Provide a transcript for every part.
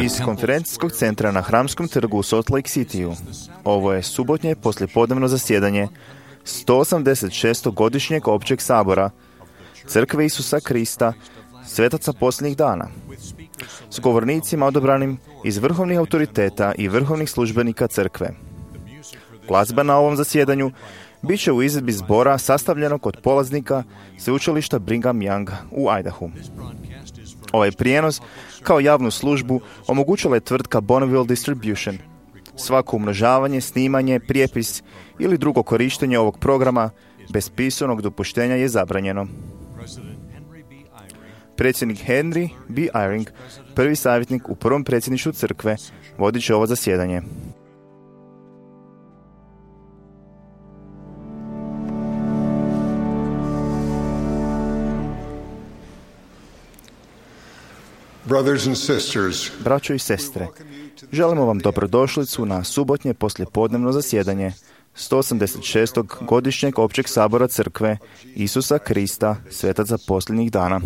Iz konferencijskog centra na Hramskom trgu u Salt Lake Cityu, ovo je subotnje poslijepodnevno zasjedanje 186. godišnjeg općeg sabora Crkve Isusa Krista, svetaca posljednjih dana, s govornicima odabranim iz vrhovnih autoriteta i vrhovnih službenika crkve. Glazba na ovom zasjedanju bit će u izvedbi zbora sastavljenog od polaznika sveučilišta Brigham Young u Idahu. Ovaj prijenos kao javnu službu omogućila je tvrtka Bonneville Distribution. Svako umnožavanje, snimanje, prijepis ili drugo korištenje ovog programa bez pisanog dopuštenja je zabranjeno. Predsjednik Henry B. Eyring, prvi savjetnik u prvom predsjedništvu crkve, vodit će ovo zasjedanje. Braćo i sestre, želimo vam dobrodošlicu na subotnje poslijepodnevno zasjedanje 186. godišnjeg općeg sabora crkve Isusa Krista, svetaca posljednjih dana.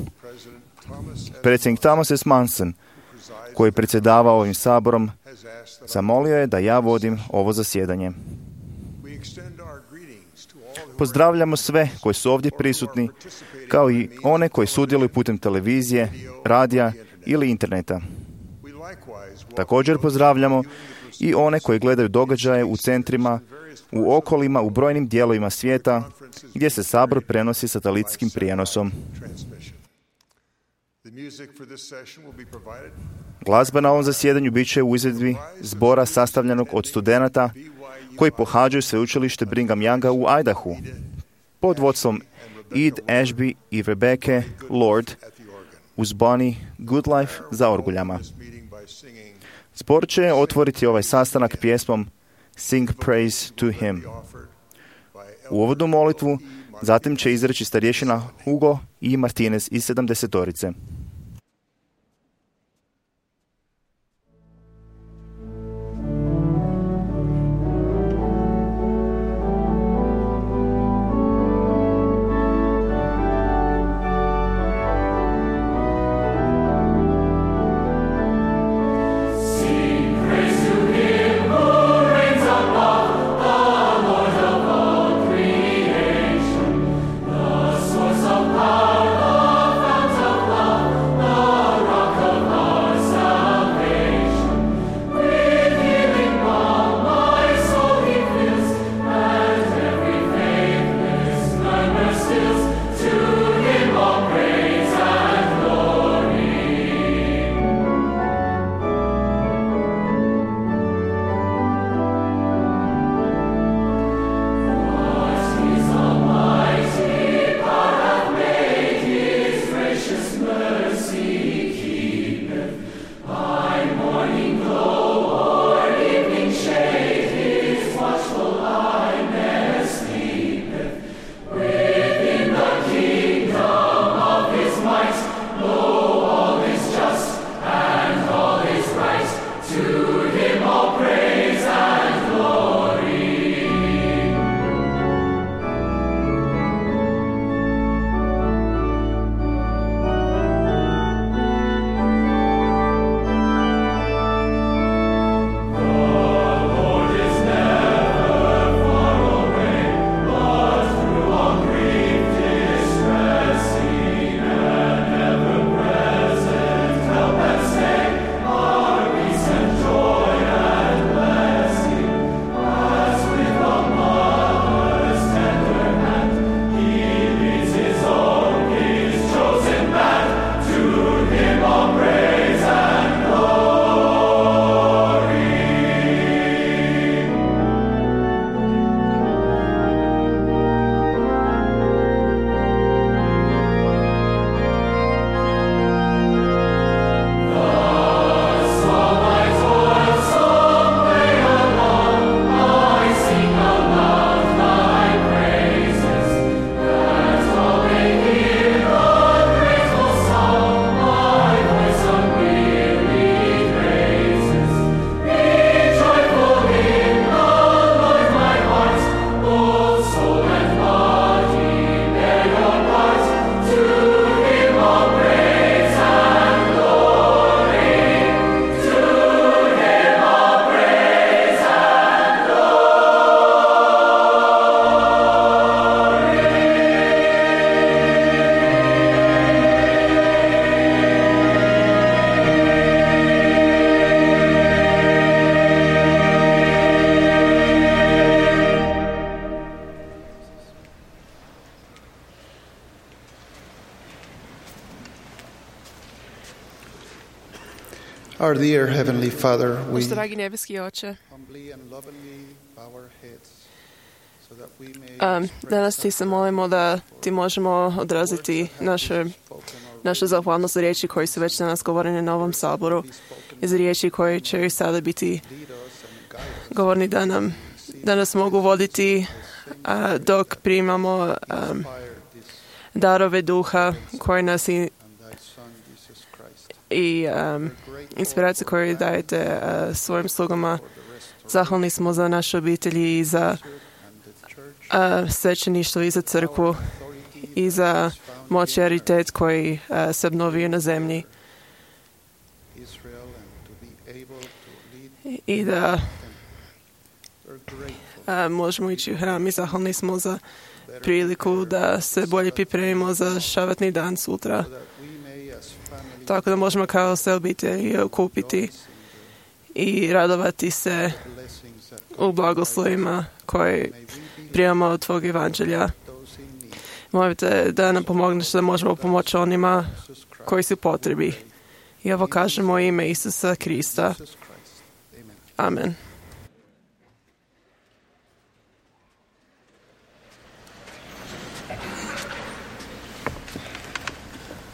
Predsjednik Thomas S. Manson, koji predsjedava ovim saborom, zamolio je da ja vodim ovo zasjedanje. Pozdravljamo sve koji su ovdje prisutni, kao i one koji sudjeluju putem televizije, radija ili interneta. Također pozdravljamo i one koji gledaju događaje u centrima, u okolima, u brojnim dijelovima svijeta gdje se sabor prenosi satelitskim prijenosom. Glazba na ovom zasjedanju bit će u izvedbi zbora sastavljenog od studenata koji pohađaju sveučilište Brigham Younga u Idahu pod vodstvom Ed Ashby i Rebecca Lord uz Bonnie Goodlife za orguljama. Zbor će otvoriti ovaj sastanak pjesmom Sing Praise to Him. U uvodnu molitvu zatim će izreći starješina Hugo i Martinez iz 70-torice. Source of power, the fount of love, Our dear Heavenly Father, we Naš dragi nebeski Oče, humbly and lovingly bow our heads so that we may danas ti se molimo da ti možemo odraziti našu zahvalnost za riječi koji su već danas govorene na ovom saboru i za riječi koje će sada biti govorni da nas mogu voditi dok primamo darove duha koji nas i inspiraciju koju dajete svojim slugama. Zahvalni smo za naše obitelji i za svećeništvo i za crkvu i za moć i autoritet koji se obnovio na zemlji i da možemo ići u hram i zahvalni smo za priliku da se bolje pripremimo za šabatni dan sutra. Tako da možemo kao se obitelji okupiti i radovati se u blagoslovima koje primamo od tvog evanđelja. Molite da nam pomogneš da možemo pomoći onima koji su potrebi. I ovo kažemo u ime Isusa Krista. Amen.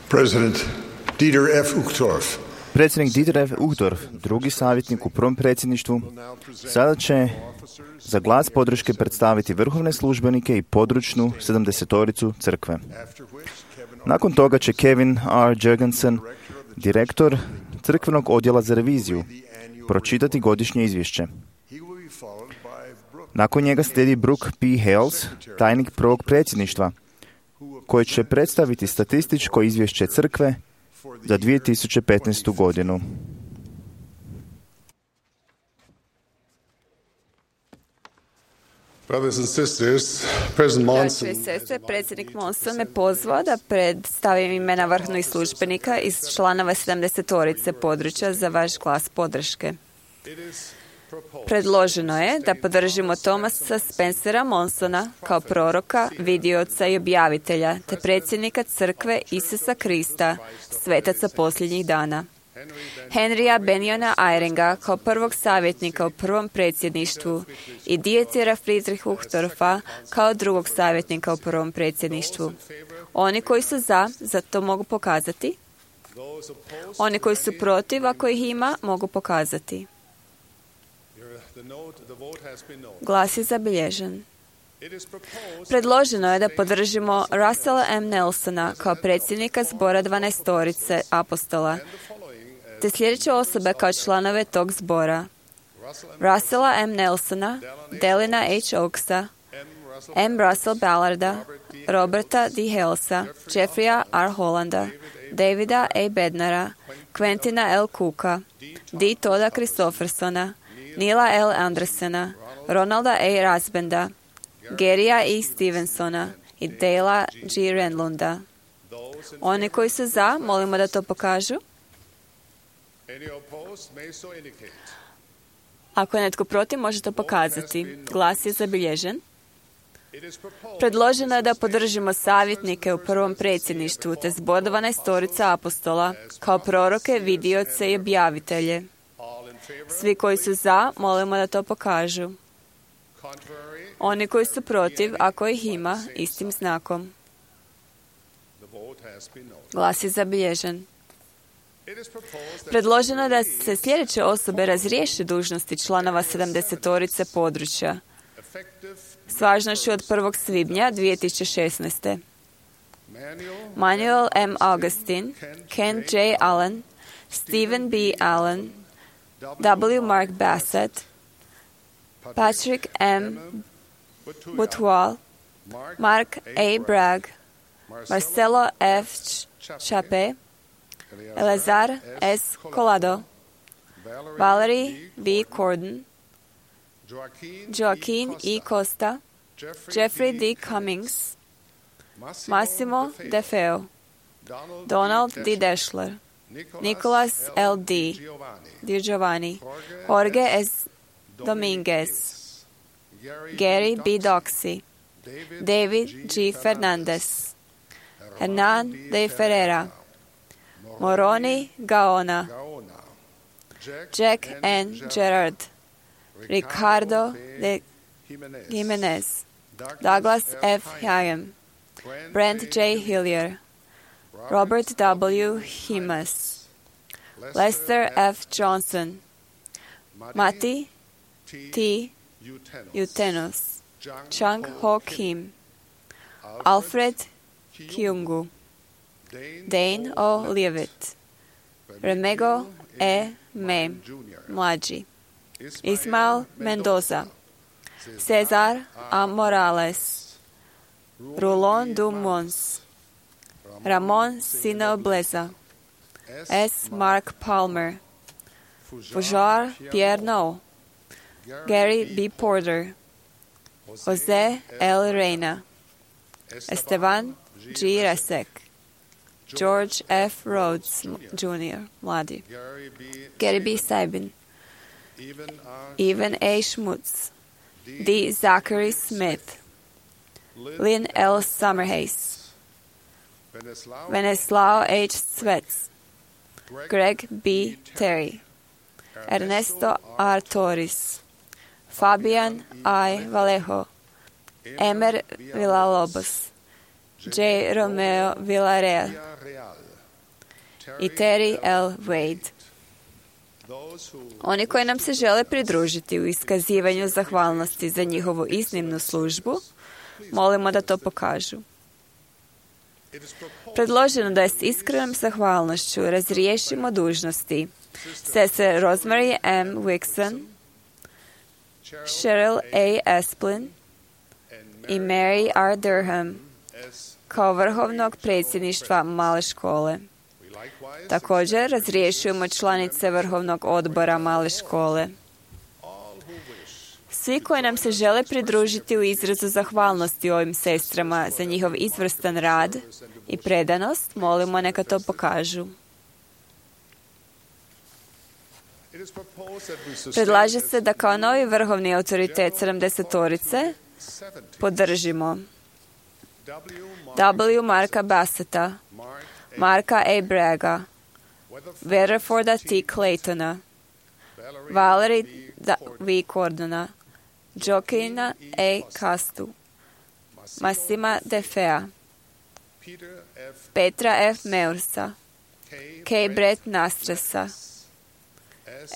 President Dieter F. Uchtdorf. Predsjednik Dieter F. Uchtdorf, drugi savjetnik u prvom predsjedništvu, sada će za glas podrške predstaviti vrhovne službenike i područnu 70-toricu crkve. Nakon toga će Kevin R. Jurgensen, direktor crkvenog odjela za reviziju, pročitati godišnje izvješće. Nakon njega slijedi Brooke P. Hales, tajnik prvog predsjedništva, koji će predstaviti statističko izvješće crkve za 2015. godinu. Brothers and sisters, President Monson. Braćo i sestre, predsjednik Monson me pozvao da predstavim imena vrhovnih službenika iz članova 70-torice područja za vaš glas podrške. Predloženo je da podržimo Thomasa Spencera Monsona kao proroka, vidioca i objavitelja, te predsjednika crkve Isusa Krista, svetaca posljednjih dana. Henrya Benjona Eyringa kao prvog savjetnika u prvom predsjedništvu i Dietera Friedrich Uchtdorfa kao drugog savjetnika u prvom predsjedništvu. Oni koji su za to mogu pokazati. Oni koji su protiv, ako ih ima, mogu pokazati. Glas je zabilježen. Predloženo je da podržimo Russella M. Nelsona kao predsjednika zbora 12-torice apostola, te sljedeće osobe kao članove tog zbora: Russella M. Nelsona, Delina H. Oaksa, M. Russell Ballarda, Roberta D. Halesa, Jeffreya R. Hollanda, Davida A. Bednara, Quentina L. Cooka, D. Toda Christophersona, Nila L. Andersena, Ronalda A. Rasbenda, Garya E. Stevensona i Dale G. Renlunda. Oni koji su za, molimo da to pokažu. Ako je netko protiv, može to pokazati. Glas je zabilježen. Predloženo je da podržimo savjetnike u prvom predsjedništvu te zbor 12-torica apostola kao proroke, vidioce i objavitelje. Svi koji su za, molimo da to pokažu. Oni koji su protiv, ako ih ima, istim znakom. Glas je zabilježen. Predloženo je da se sljedeće osobe razriješi dužnosti članova 70-torice područja s važnošću od 1. svibnja 2016. Manuel M. Augustin, Ken J. Allen, Stephen B. Allen, W. Mark Bassett, Patrick M. Butwal, Mark A. Bragg, Marcelo F. Chape, Eleazar S. Colado, Valerie V. Corden, Joaquin E. Costa, Jeffrey D. Cummings, Massimo De Feo, Donald D. Deschler, Nicholas L. D. Di Giovanni, Jorge S. Dominguez, Gary B. Doxy, David G. Fernandez, Hernan de Ferreira, Moroni Gaona, Jack N. Gerard, Ricardo de Jimenez, Douglas F. Hyam, Brent J. Hillier, Robert W. Himas, Lester F. Johnson, Mati T. Utenos, Chung Ho Kim, Alfred Kyungu, Dane O. Leavitt, Remego E. Mem, mlađi, Ismael Mendoza, Cesar A. Morales, Rulon du Mons, Ramon Sino Bleza, S. Mark Palmer, Fujar Pierre No, Gary B. Porter, Jose L. Reyna, Esteban G. Resek, George F. Rhodes Jr., mladi, Gary B. Sabin, Evan A. Schmutz, D. Zachary Smith, Lynn L. Summerhays, Veneslao H. Svets, Greg B. Terry, Ernesto R. Torres, Fabian I. Vallejo, Emer Villalobos, J. Romeo Villarreal i Terry L. Wade. Oni koji nam se žele pridružiti u iskazivanju zahvalnosti za njihovu iznimnu službu, molimo da to pokažu. Predloženo da je s iskrenom zahvalnošću razriješimo dužnosti sestre Rosemary M. Wixon, Cheryl A. Esplin i Mary R. Durham kao vrhovnog predsjedništva male škole. Također razriješujemo članice vrhovnog odbora male škole. Svi koji nam se žele pridružiti u izrazu zahvalnosti ovim sestrama za njihov izvrstan rad i predanost, molimo neka to pokažu. Predlaže se da kao novi vrhovni autoritet 70-torice podržimo W. Marka Basseta, Marka A. Braga, Weatherforda T. Claytona, Valerie V. Cordona, Joaquina A. Castu, Massima De Fea, Petra F. Meursa, K. Brett Nastrasa,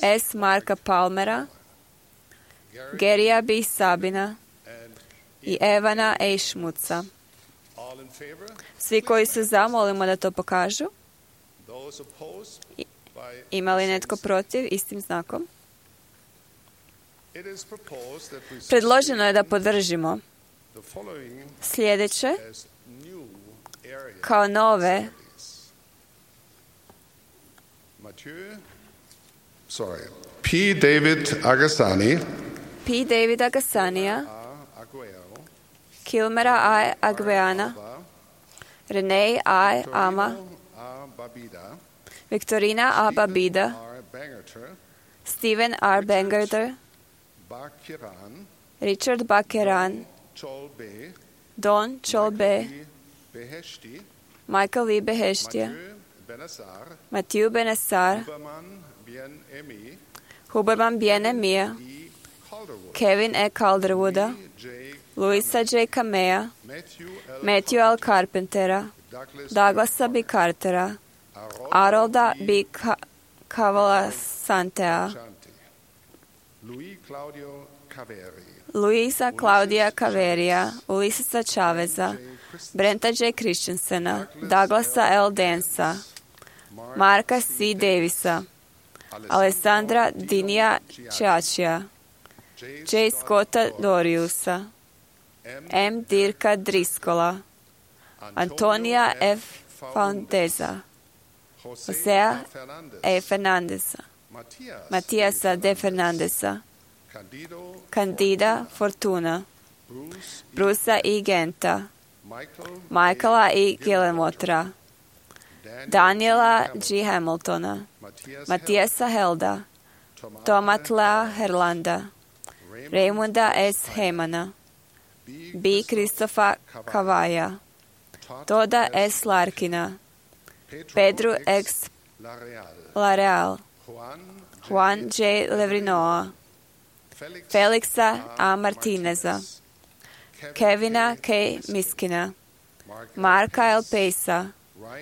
S. Marka Palmera, Gerija B. Sabina i Evana A. Šmuca. Svi koji su za, molimo da to pokažu. Ima li netko protiv istim znakom? Predloženo je da podržimo sljedeće kao nove P. David Agassani, P. David Agassanija, Kilmera A. Agveana, Renee A. Ama, Victorina A. Babida, Stephen R. Bangerter, Richard Bakeran, Don Cholbe, Michael V. Beheštija, Matthew Benassar, Huberman Bien-Emia, Kevin E. Calderwooda, Luisa J. Kamea, Matthew L. Carpentera, Douglasa B. Cartera, Arolda B. Cavala Santea, Luisa Claudia Caveria, Ulisisa Chaveza, Brenta J. Christensena, Douglasa L. Dansa, Marka C. Davisa, Alessandra Dinija Čačija, J. Scotta Doriusa, M. Dirka Driskola, Antonija F. Foundeza, Josea E. Fernandeza, Matijasa D. Fernandeza, Candida Fortuna, Brusa I. Genta, Michaela I. Gillemotra, Daniela G. Hamiltona, Matijasa Helda, Tomatla Herlanda, Raymunda S. Heymana, B. Kristofa Kavaja, Toda S. Larkina, Pedro X. Lareal, Juan J. Levrinoa, Felixa A. Martineza, Kevina K. Miskina, Marka L. Pejsa,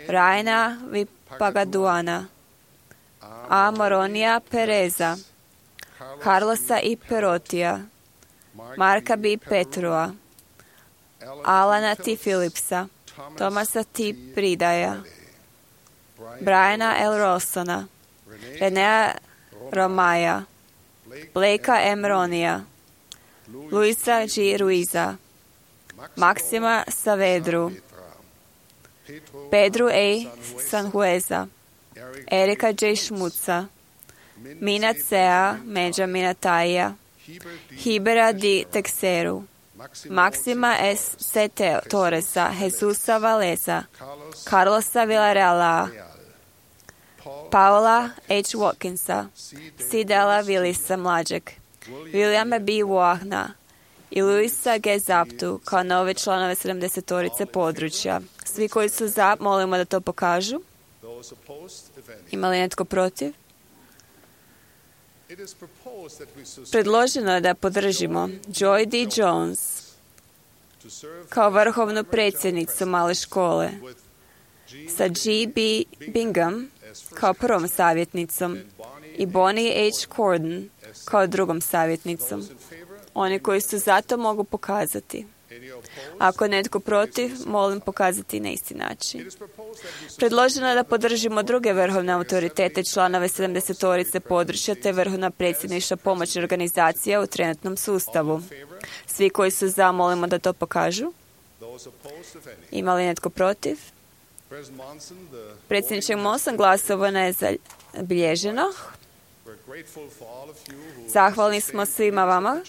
Rajna Vipagaduana, A. Moronija Pereza, Carlosa I. Perotija, Marka B. Petrua, Alana T. Philipsa, Tomasa T. Pridaja, Briana L. Rossona, Renea Romaja, Blakea M. Ronija, Luisa G. Ruiza, Maksima Savedru, Pedro A. Sanhueza, Erika J. Šmuca, Mina C.A. Benjamina Taija, Hibera D. Texeru, Maksima S. C. Torresa, Jesusa Valeza, Carlosa Villarreala, Paula H. Watkinsa, Sidela Willisa mlađeg, Williama B. Wahna i Luisa G. Zaptu kao nove članove 70-torice područja. Svi koji su za, molimo da to pokažu. Ima li netko protiv? Predloženo je da podržimo Joy D. Jones kao vrhovnu predsjednicu male škole, sa G. B. Bingham kao prvom savjetnicom i Bonnie H. Corden kao drugom savjetnicom. Oni koji su za to mogu pokazati. Ako netko protiv, molim pokazati na isti način. Predloženo je da podržimo druge vrhovne autoritete, članove 70-torice područja te vrhovna predsjedništva pomoćne organizacije u trenutnom sustavu. Svi koji su za, molimo da to pokažu. Ima li netko protiv? Predsjedniče Monson, glasovano je zabilježeno. Zahvalni smo svima vama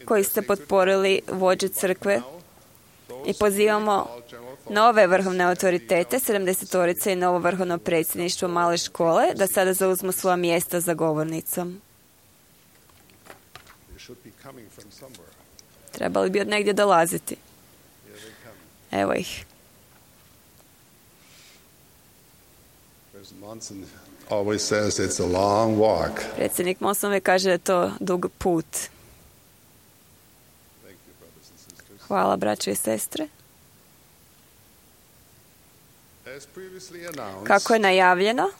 koji ste potporili vođe crkve i pozivamo nove vrhovne autoritete, 70-torice i novo vrhovno predsjedništvo male škole, da sada zauzmu svoja mjesta za govornicom. Trebali bi od negdje dolaziti. Evo ih. Predsjednik Monson uvijek kaže da je to dug put. Hvala, braćo i sestre. Kako je najavljeno,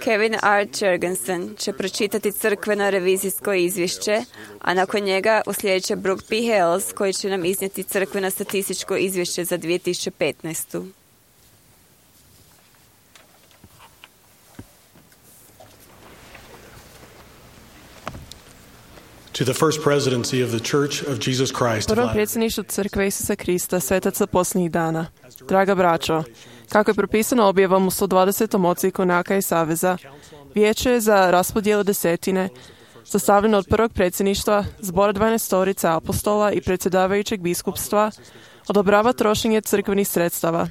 Kevin R. Jurgensen će pročitati crkveno revizijsko izvješće, a nakon njega uslijedit će Brooke P. Hales, koji će nam iznijeti crkveno statističko izvješće za 2015. To the first presidency of the Church of Jesus Christ. Prvo predsjedništvo crkve Isusa Krista, svetaca posljednjih dana. Draga braćo, kako je propisano objavom u 120. odsjeku Naka i Saveza, vijeće je za raspodjelu desetine, sastavljeno od prvog predsjedništva, zbora 12 apostola i predsjedavajućeg biskupstva, odobrava trošenje crkvenih sredstava.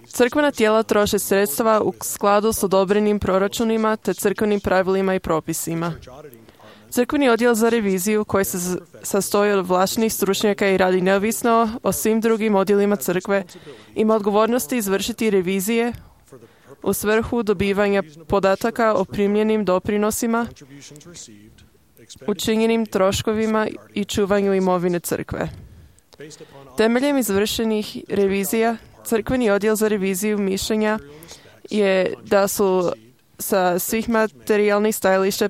Crkvena tijela troše sredstva u skladu s odobrenim proračunima te crkvenim pravilima i propisima. Crkveni odjel za reviziju, koji se sastoji od ovlaštenih stručnjaka i radi neovisno o svim drugim odjelima crkve, ima odgovornosti izvršiti revizije u svrhu dobivanja podataka o primljenim doprinosima, učinjenim troškovima i čuvanju imovine crkve. Temeljem izvršenih revizija, crkveni odjel za reviziju mišljenja je da su sa svih materijalnih stajališta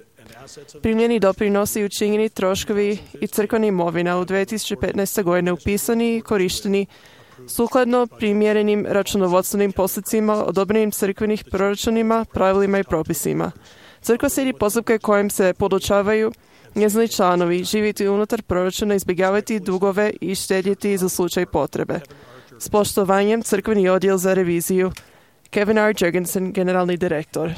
primljeni doprinosi i učinjeni troškovi i crkvena imovina u 2015. godine upisani i korišteni sukladno primjerenim računovodstvenim postupcima, odobrenim crkvenih proračunima, pravilima i propisima. Crkva slijedi postupke kojim se podučavaju njezini članovi živjeti unutar proračuna, izbjegavati dugove i štedjeti za slučaj potrebe. S poštovanjem, crkveni odjel za reviziju. Kevin R. Jurgensen, generalni direktor.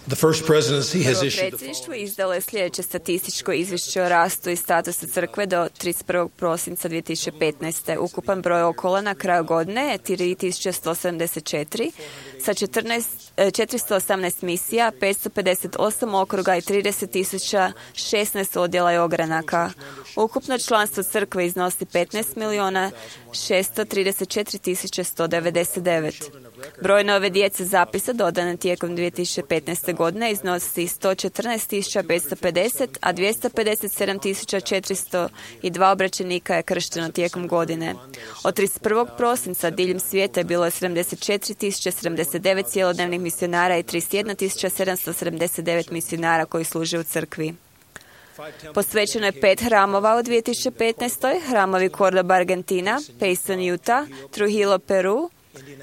The first presidency has issued the Predsjedništvo izdalo je sljedeće statističko izvješće o rastu i statusu crkve do 31. prosinca 2015. Ukupan broj okola na kraju godine je 3174, sa 418 misija, 558 okruga i 30.016 odjela i ogranaka. Ukupno članstvo crkve iznosi 15.634.199. Broj nove djece zapisa dodane tijekom 2015. godine iznosi 114.550, a 257.402 obraćenika je kršteno tijekom godine. Od 31. prosinca diljem svijeta je bilo 74.079 cjelodnevnih misionara i 31.779 misionara koji služe u crkvi. Posvećeno je 5 hramova u 2015. Hramovi Cordoba, Argentina, Payson, Utah, Trujillo, Peru,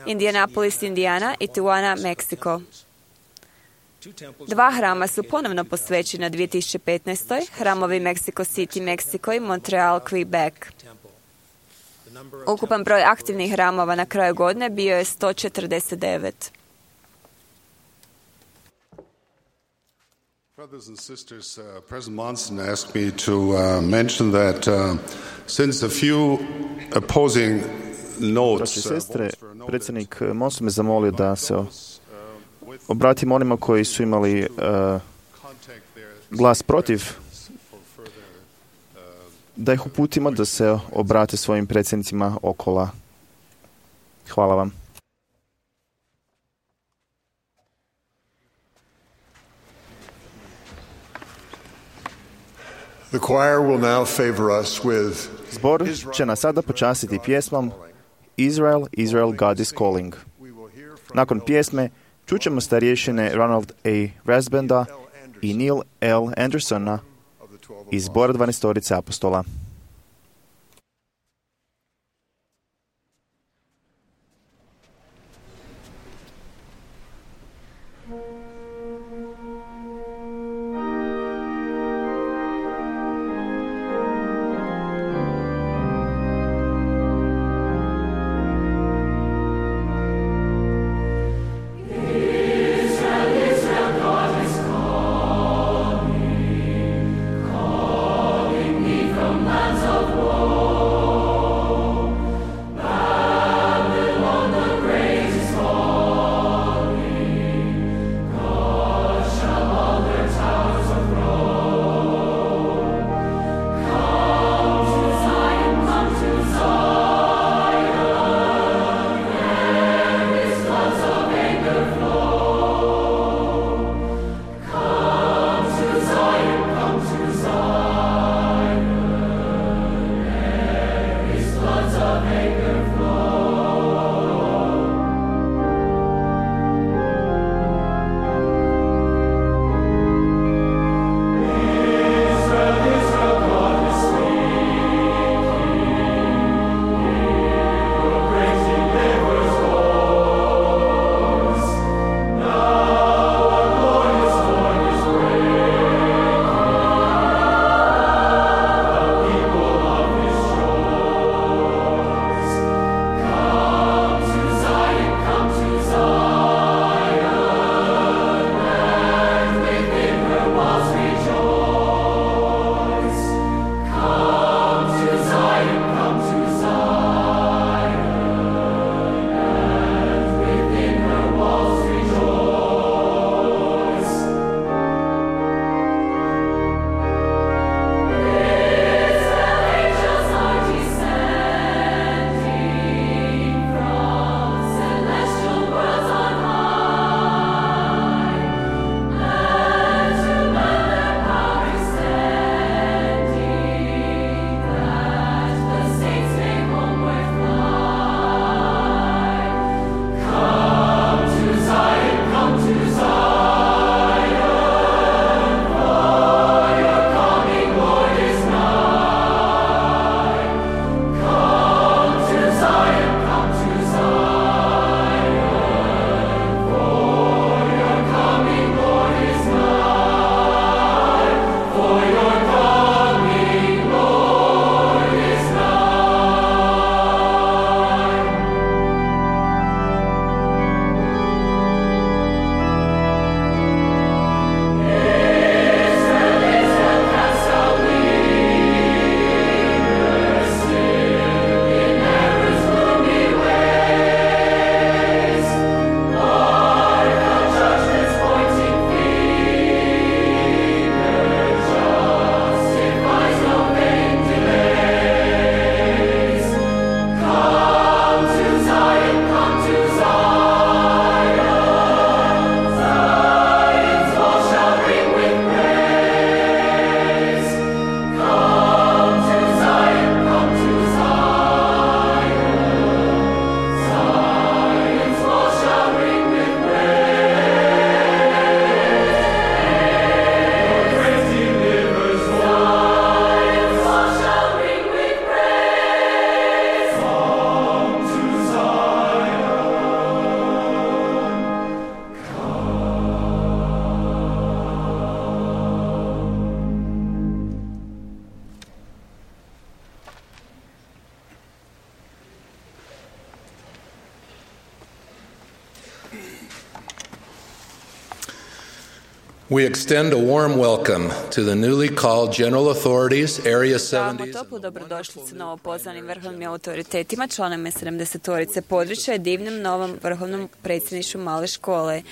Indianapolis, Indiana i Tijuana, Meksiko. 2 hrama su ponovno posvećena 2015. Hramovi Mexico City, Meksiko i Montreal, Quebec. Ukupan broj aktivnih hramova na kraju godine bio je 149. Brothers and sisters, President Monson asked me to mention that since a few opposing notes... Sestre, predsjednik Monson me zamolio da se obratim onima koji su imali glas protiv, da ih uputimo da se obrate svojim predsjednicima okola. Hvala vam. The choir will now favor us with Zbor će nas sada počastiti pjesmom Israel, Israel, God is calling. Nakon pjesme čućemo starješine Ronald A. Rasbanda i Neil L. Andersona iz Zbora 12 apostola. From We extend a warm welcome to the newly called General Authorities, Area Damo 70s. toplu dobrodošlicu novopozvanim vrhovnim autoritetima, članovima 70-torice područja i divnom novom vrhovnom predsjedništvu male škole.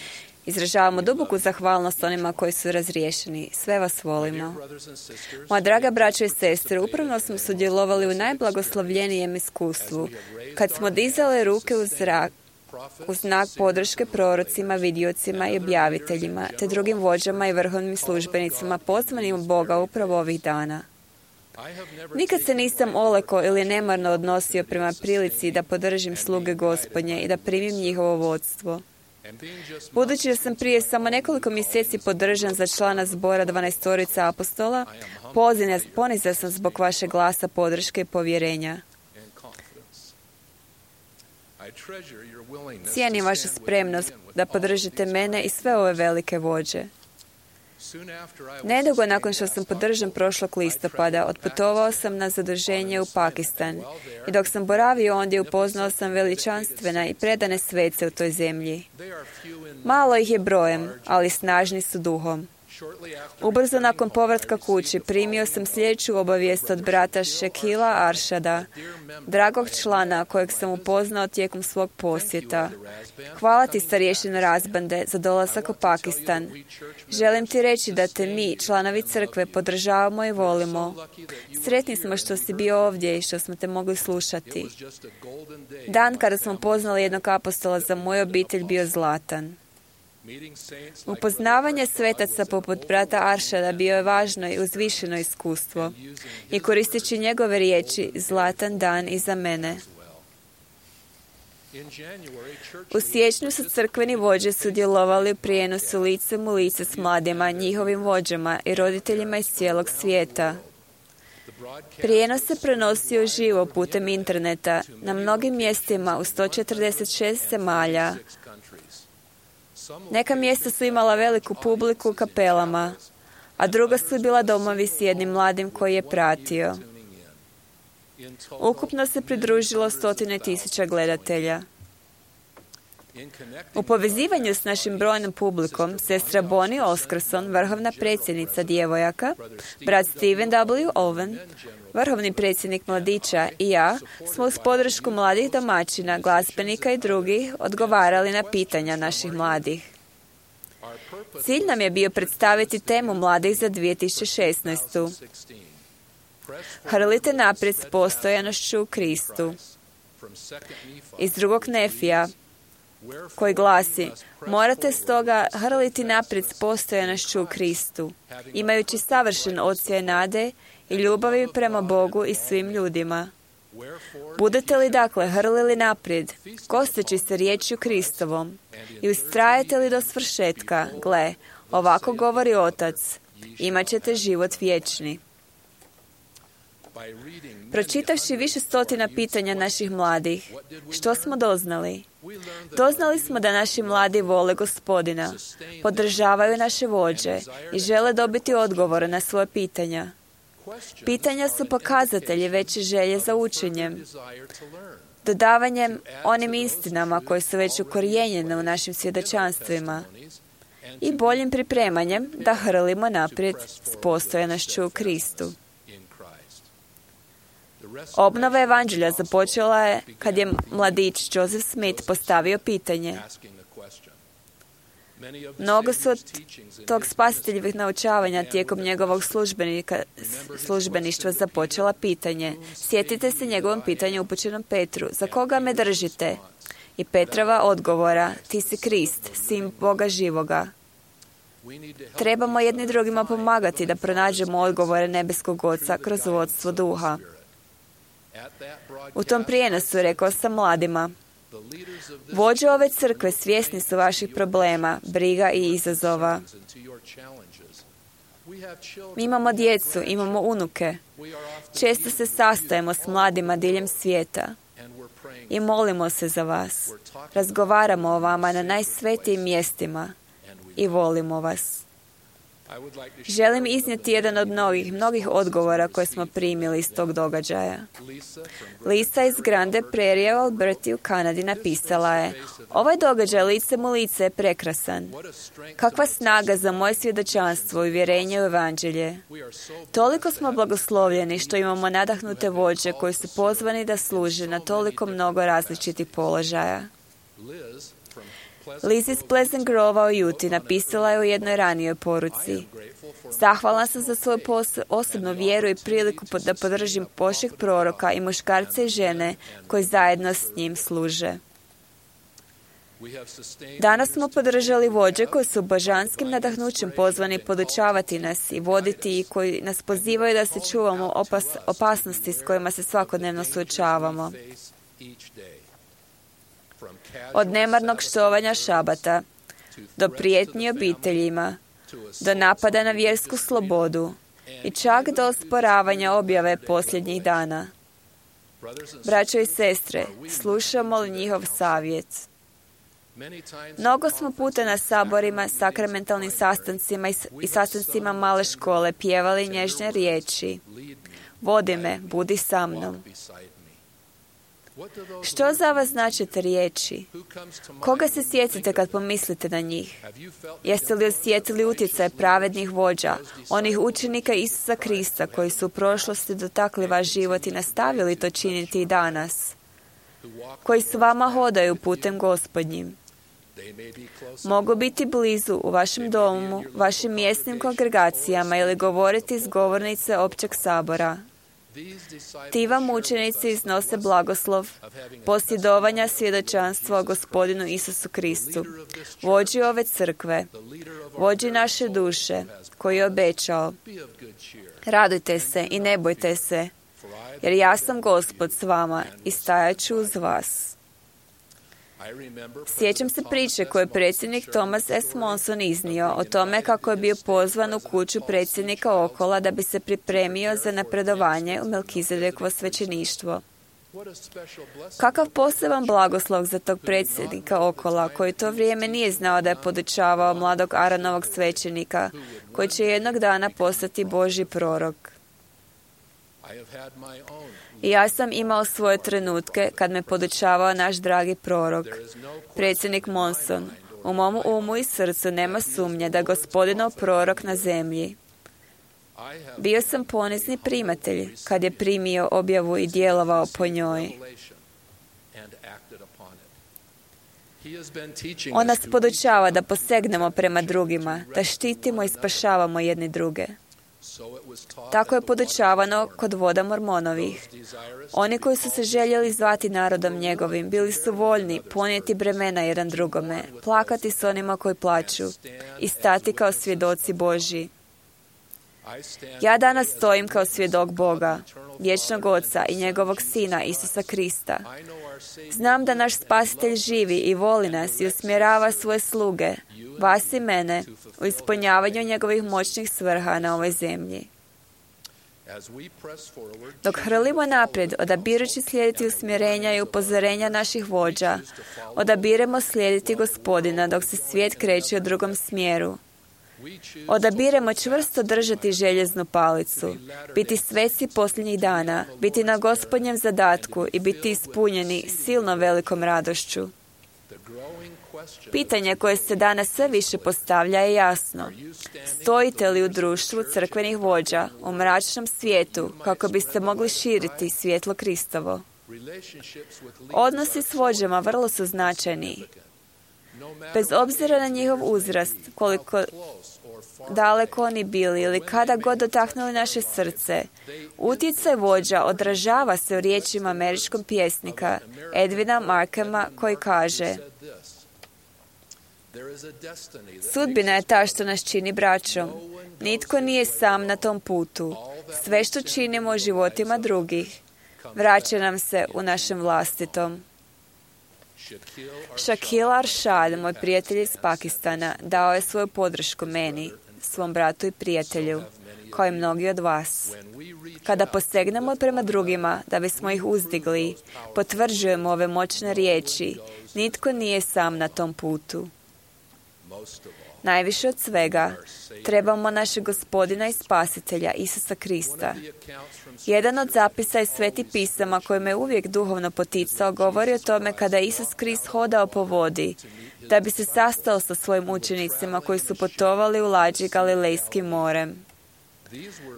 Izražavamo duboku zahvalnost onima koji su razriješeni. Sve vas volimo. Moja draga braćo i sestre, upravo smo sudjelovali u najblagoslovljenijem iskustvu, kad smo dizali ruke u zrak, u znak podrške prorocima, vidiocima i objaviteljima, te drugim vođama i vrhovnim službenicima pozvanim od Boga upravo ovih dana. Nikad se nisam olako ili nemarno odnosio prema prilici da podržim sluge Gospodnje i da primim njihovo vodstvo. Budući da sam prije samo nekoliko mjeseci podržan za člana zbora 12 apostola, ponizan sam zbog vašeg glasa podrške i povjerenja. Cijenim vašu spremnost da podržite mene i sve ove velike vođe. Nedugo nakon što sam podržan prošlog listopada, otputovao sam na zaduženje u Pakistan i dok sam boravio ondje upoznao sam veličanstvene i predane svece u toj zemlji. Malo ih je brojem, ali snažni su duhom. Ubrzo nakon povratka kući primio sam sljedeću obavijest od brata Shekila Arshada, dragog člana kojeg sam upoznao tijekom svog posjeta. Hvala ti, starješino Razbande, za dolazak u Pakistan. Želim ti reći da te mi, članovi crkve, podržavamo i volimo. Sretni smo što si bio ovdje i što smo te mogli slušati. Dan kada smo poznali jednog apostola za moju obitelj bio zlatan. Upoznavanje svetaca poput brata Arshada bio je važno i uzvišeno iskustvo i koristeći njegove riječi zlatan dan i za mene. U siječnju su crkveni vođe sudjelovali u prijenosu licem u lice s mladima, njihovim vođama i roditeljima iz cijelog svijeta. Prijenos se prenosio živo putem interneta na mnogim mjestima u 146 zemalja. Neka mjesta su imala veliku publiku u kapelama, a druga su bila domovi s jednim mladim koji je pratio. Ukupno se pridružilo 100.000 gledatelja. U povezivanju s našim brojnom publikom, sestra Bonnie Oscarson, vrhovna predsjednica djevojaka, brat Stephen W. Owen, vrhovni predsjednik mladića i ja smo uz podršku mladih domaćina, glazbenika i drugih odgovarali na pitanja naših mladih. Cilj nam je bio predstaviti temu mladih za 2016. Hrlite naprijed s postojanošću u Kristu. Iz 2. Nefija, koji glasi: morate stoga hrliti naprijed s postojanošću u Kristu, imajući savršen osjećaj nade i ljubavi prema Bogu i svim ljudima. Budete li dakle hrlili naprijed, kosteći se riječju Kristovom, i ustrajete li do svršetka, gle, ovako govori Otac, imat ćete život vječni. Pročitavši više stotina pitanja naših mladih, što smo doznali? Doznali smo da naši mladi vole Gospodina, podržavaju naše vođe i žele dobiti odgovore na svoje pitanja. Pitanja su pokazatelji veće želje za učenjem, dodavanjem onim istinama koje su već ukorijenjene u našim svjedočanstvima i boljim pripremanjem da hrlimo naprijed s postojanošću u Kristu. Obnova evanđelja započela je kad je mladić Joseph Smith postavio pitanje. Mnogo su od tog spasiteljevih naučavanja tijekom njegovog službeništva započela pitanje. Sjetite se njegovom pitanju upućenom Petru. Za koga me držite? I Petrova odgovora. Ti si Krist, sin Boga živoga. Trebamo jedni drugima pomagati da pronađemo odgovore nebeskog Oca kroz vodstvo duha. U tom prijenosu rekao sam mladima: vođe ove crkve svjesni su vaših problema, briga i izazova. Mi imamo djecu, imamo unuke. Često se sastajemo s mladima diljem svijeta i molimo se za vas. Razgovaramo o vama na najsvetijim mjestima i volimo vas. Želim iznijeti jedan od mnogih odgovora koje smo primili iz tog događaja. Lisa iz Grande Prairie u Alberti u Kanadi napisala je: ovaj događaj lice mu lice je prekrasan. Kakva snaga za moje svjedočanstvo i uvjerenje u evanđelje. Toliko smo blagoslovljeni što imamo nadahnute vođe koji su pozvani da služe na toliko mnogo različitih položaja. Liz iz Pleasant Grova u Utah napisala je u jednoj ranijoj poruci: zahvalna sam za svoju osobnu vjeru i priliku da podržim Božjeg proroka i muškarce i žene koji zajedno s njim služe. Danas smo podržali vođe koji su božanskim nadahnućem pozvani podučavati nas i voditi i koji nas pozivaju da se čuvamo opasnosti s kojima se svakodnevno suočavamo. Od nemarnog štovanja šabata, do prijetnji obiteljima, do napada na vjersku slobodu i čak do osporavanja objave posljednjih dana. Braćo i sestre, slušamo li njihov savjet? Mnogo smo puta na saborima, sakramentalnim sastancima i sastancima male škole pjevali nježne riječi: vodi me, budi sa mnom. Što za vas znače te riječi? Koga se sjetite kad pomislite na njih? Jeste li osjetili utjecaj pravednih vođa, onih učenika Isusa Krista koji su u prošlosti dotakli vaš život i nastavili to činiti i danas? Koji s vama hodaju putem Gospodnjim? Mogu biti blizu u vašem domu, vašim mjesnim kongregacijama ili govoriti iz govornice općeg sabora. Ti vam učenici iznose blagoslov, posjedovanja svjedočanstva o Gospodinu Isusu Kristu, vođi ove crkve, vođi naše duše, koji je obećao: radujte se i ne bojte se, jer ja sam Gospod s vama i stajat ću uz vas. Sjećam se priče koju je predsjednik Thomas S. Monson iznio o tome kako je bio pozvan u kuću predsjednika Okola da bi se pripremio za napredovanje u Melkizedekovo svećeništvo. Kakav poseban blagoslov za tog predsjednika Okola, koji to vrijeme nije znao da je podučavao mladog Aaronovog svećenika, koji će jednog dana postati Božji prorok. I ja sam imao svoje trenutke kad me podučavao naš dragi prorok, predsjednik Monson. U mom umu i srcu nema sumnje da je Gospodinov prorok na zemlji. Bio sam ponizni primatelj kad je primio objavu i djelovao po njoj. On nas podučava da posegnemo prema drugima, da štitimo i spašavamo jedni druge. Tako je podučavano kod voda Mormonovih. Oni koji su se željeli zvati narodom njegovim, bili su voljni ponijeti bremena jedan drugome, plakati s onima koji plaću i stati kao svjedoci Božji. Ja danas stojim kao svjedok Boga, vječnog Oca i njegovog Sina Isusa Krista. Znam da naš Spasitelj živi i voli nas i usmjerava svoje sluge, vas i mene, u ispunjavanju njegovih moćnih svrha na ovoj zemlji. Dok hrlimo naprijed, odabirući slijediti usmjerenja i upozorenja naših vođa, odabiremo slijediti Gospodina dok se svijet kreće u drugom smjeru. Odabiremo čvrsto držati željeznu palicu, biti sveci posljednjih dana, biti na Gospodnjem zadatku i biti ispunjeni silno velikom radošću. Pitanje koje se danas sve više postavlja je jasno. Stojite li u društvu crkvenih vođa u mračnom svijetu kako biste mogli širiti svjetlo Kristovo? Odnosi s vođama vrlo su značajni. Bez obzira na njihov uzrast, koliko daleko oni bili ili kada god dotaknuli naše srce, utjecaj vođa odražava se u riječima američkog pjesnika Edwina Markhama koji kaže: sudbina je ta što nas čini braćom. Nitko nije sam na tom putu. Sve što činimo u životima drugih vraća nam se u našem vlastitom. Shakil Arshad, moj prijatelj iz Pakistana, dao je svoju podršku meni, svom bratu i prijatelju, kao i mnogi od vas. Kada posegnemo prema drugima da bismo ih uzdigli, potvrđujemo ove moćne riječi: nitko nije sam na tom putu. Najviše od svega, trebamo našeg Gospodina i Spasitelja, Isusa Krista. Jedan od zapisa iz Svetih pisama koji me uvijek duhovno poticao govori o tome kada je Isus Krist hodao po vodi, da bi se sastao sa svojim učenicima koji su putovali u lađi Galilejskim morem.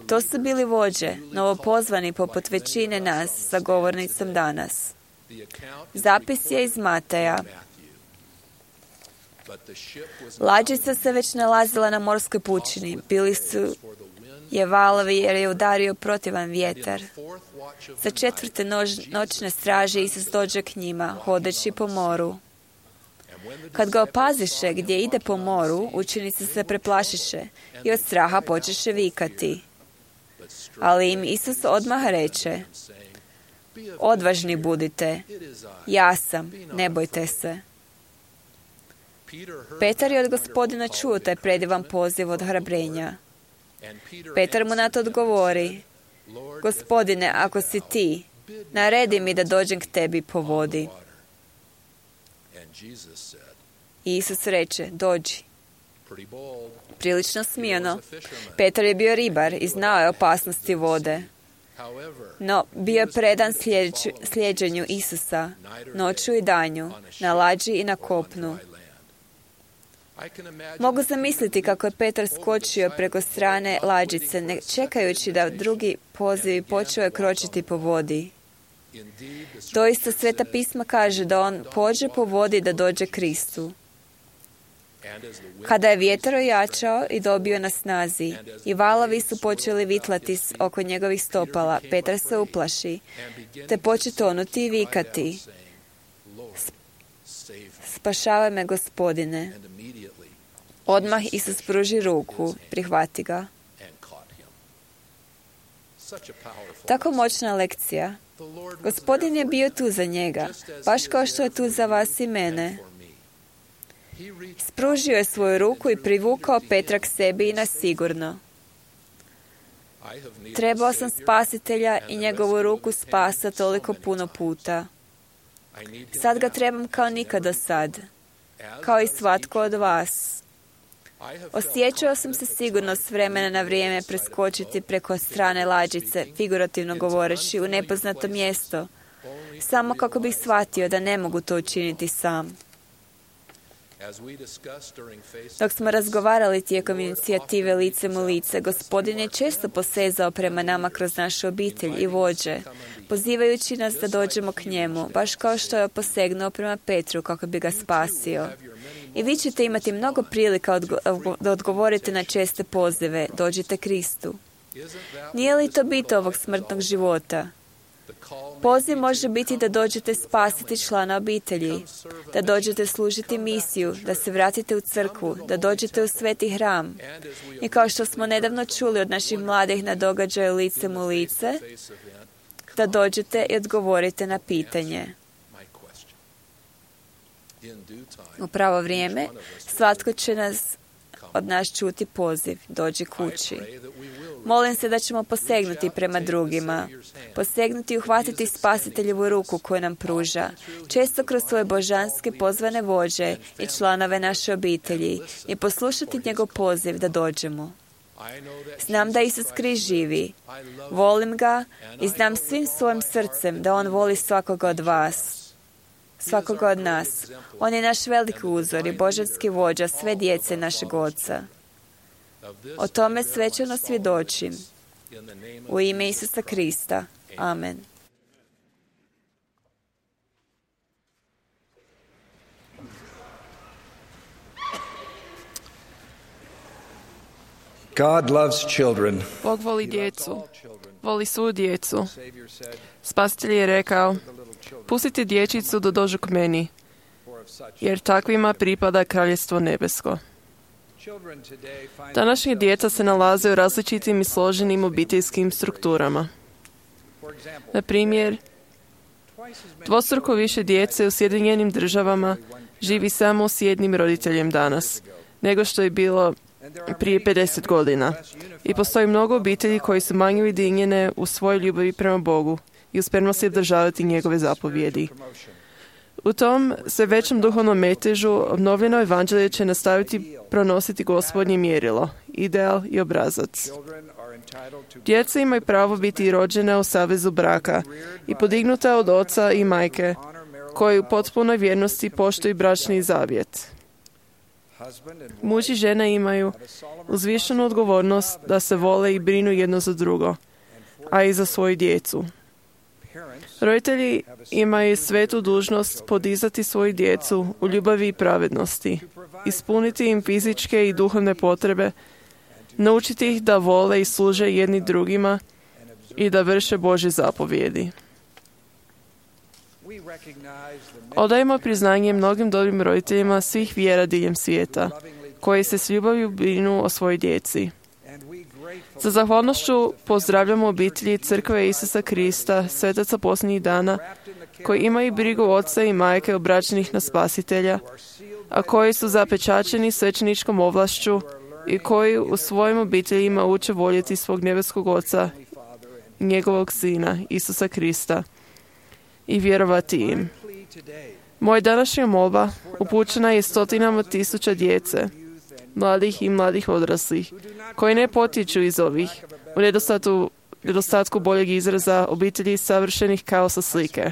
To su bili vođe, novopozvani poput većine nas sa govornicom danas. Zapis je iz Mateja. Lađica se već nalazila na morskoj pučini. Bili su je valovi jer je udario protivan vjetar. Za 4. noćne straže Isus dođe k njima, hodeći po moru. Kad ga opaziše gdje ide po moru, učenici se preplašiše i od straha počeše vikati. Ali im Isus odmah reče: odvažni budite, ja sam, ne bojte se. Petar je od Gospodina čuo taj predivan poziv od hrabrenja. Petar mu na to odgovori: Gospodine, ako si ti, naredi mi da dođem k tebi po vodi. I Isus reče: dođi. Prilično smijeno. Petar je bio ribar i znao je opasnosti vode. No, bio je predan slijeđenju Isusa, noću i danju, na lađi i na kopnu. Mogu zamisliti kako je Petar skočio preko strane lađice, ne čekajući da drugi pozivi počeo je kročiti po vodi. Doista Sveta pisma kaže da on pođe po vodi da dođe Kristu. Kada je vjetar ojačao i dobio na snazi i valovi su počeli vitlati oko njegovih stopala, Petar se uplaši, te poče tonuti i vikati: spašavaj me, Gospodine. Odmah Isus pruži ruku, prihvati ga. Tako moćna lekcija. Gospodin je bio tu za njega, baš kao što je tu za vas i mene. Spružio je svoju ruku i privukao Petra k sebi i na sigurno. Trebao sam Spasitelja i njegovu ruku spasa toliko puno puta. Sad ga trebam kao nikada sad, kao i svatko od vas. Osjećao sam se sigurno s vremena na vrijeme preskočiti preko strane lađice, figurativno govoreći, u nepoznato mjesto, samo kako bih shvatio da ne mogu to učiniti sam. Dok smo razgovarali tijekom inicijative Licem u lice, Gospodin je često posezao prema nama kroz našu obitelj i vođe, pozivajući nas da dođemo k njemu, baš kao što je posegnuo prema Petru kako bi ga spasio. I vi ćete imati mnogo prilika da odgovorite na česte pozive: dođite Kristu. Nije li to bit ovog smrtnog života? Poziv može biti da dođete spasiti člana obitelji, da dođete služiti misiju, da se vratite u crkvu, da dođete u sveti hram. I kao što smo nedavno čuli od naših mladih na događaju Licem u lice, da dođete i odgovorite na pitanje. U pravo vrijeme svatko će od nas čuti poziv: dođi kući. Molim se da ćemo posegnuti prema drugima, posegnuti i uhvatiti Spasiteljevu ruku koju nam pruža, često kroz svoje božanske pozvane vođe i članove naše obitelji, i poslušati njegov poziv da dođemo. Znam da Isus Krist živi, volim ga i znam svim svojim srcem da on voli svakoga od vas, svakoga od nas. On je naš veliki uzor i božanski vođa sve djece našeg Oca. O tome svečano svjedočim. U ime Isusa Krista. Amen. God loves children. Bog voli djecu. Voli svu djecu. Spasitelj je rekao: pustite dječicu da dođu k meni, jer takvima pripada kraljestvo nebesko. Današnja djeca se nalaze u različitim i složenim obiteljskim strukturama. Na primjer, dvostruko više djece u Sjedinjenim Državama živi samo s jednim roditeljem danas, nego što je bilo prije 50 godina. I postoji mnogo obitelji koji su manje ujedinjene u svojoj ljubavi prema Bogu i uspješno se državati njegove zapovjedi. U tom sve većem duhovnom metežu obnovljeno evanđelje će nastaviti pronositi Gospodnje mjerilo, ideal i obrazac. Djeca imaju pravo biti rođena u savezu braka i podignuta od oca i majke, koji u potpunoj vjernosti poštuju bračni zavjet. Muž i žena imaju uzvišenu odgovornost da se vole i brinu jedno za drugo, a i za svoju djecu. Roditelji imaju svetu dužnost podizati svoju djecu u ljubavi i pravednosti, ispuniti im fizičke i duhovne potrebe, naučiti ih da vole i služe jedni drugima i da vrše Božje zapovjedi. Odajemo priznanje mnogim dobrim roditeljima svih vjera diljem svijeta, koji se s ljubavlju brinu o svojoj djeci. Sa zahvalnošću pozdravljamo obitelji Crkve Isusa Krista, svetaca posljednjih dana, koji imaju brigu oca i majke obraćenih na Spasitelja, a koji su zapečaćeni svećeničkom ovlašću i koji u svojim obiteljima uče voljeti svog nebeskog Oca i njegovog Sina, Isusa Krista, i vjerovati im. Moja današnja molba upućena je stotinama tisuća djece, mladih i mladih odraslih, koji ne potječu iz ovih, u nedostatku boljeg izraza, obitelji savršenih kao sa slike.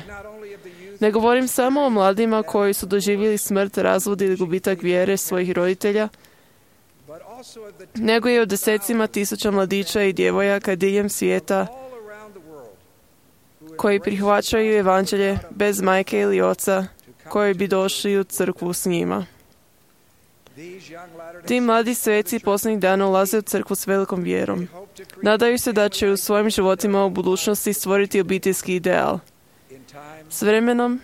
Ne govorim samo o mladima koji su doživjeli smrt, razvod ili gubitak vjere svojih roditelja, nego i o desecima tisuća mladića i djevojaka diljem svijeta koji prihvaćaju evanđelje bez majke ili oca, koji bi došli u crkvu s njima. Ti mladi sveci posljednjih dana ulaze u crkvu s velikom vjerom. Nadaju se da će u svojim životima u budućnosti stvoriti obiteljski ideal. S vremenom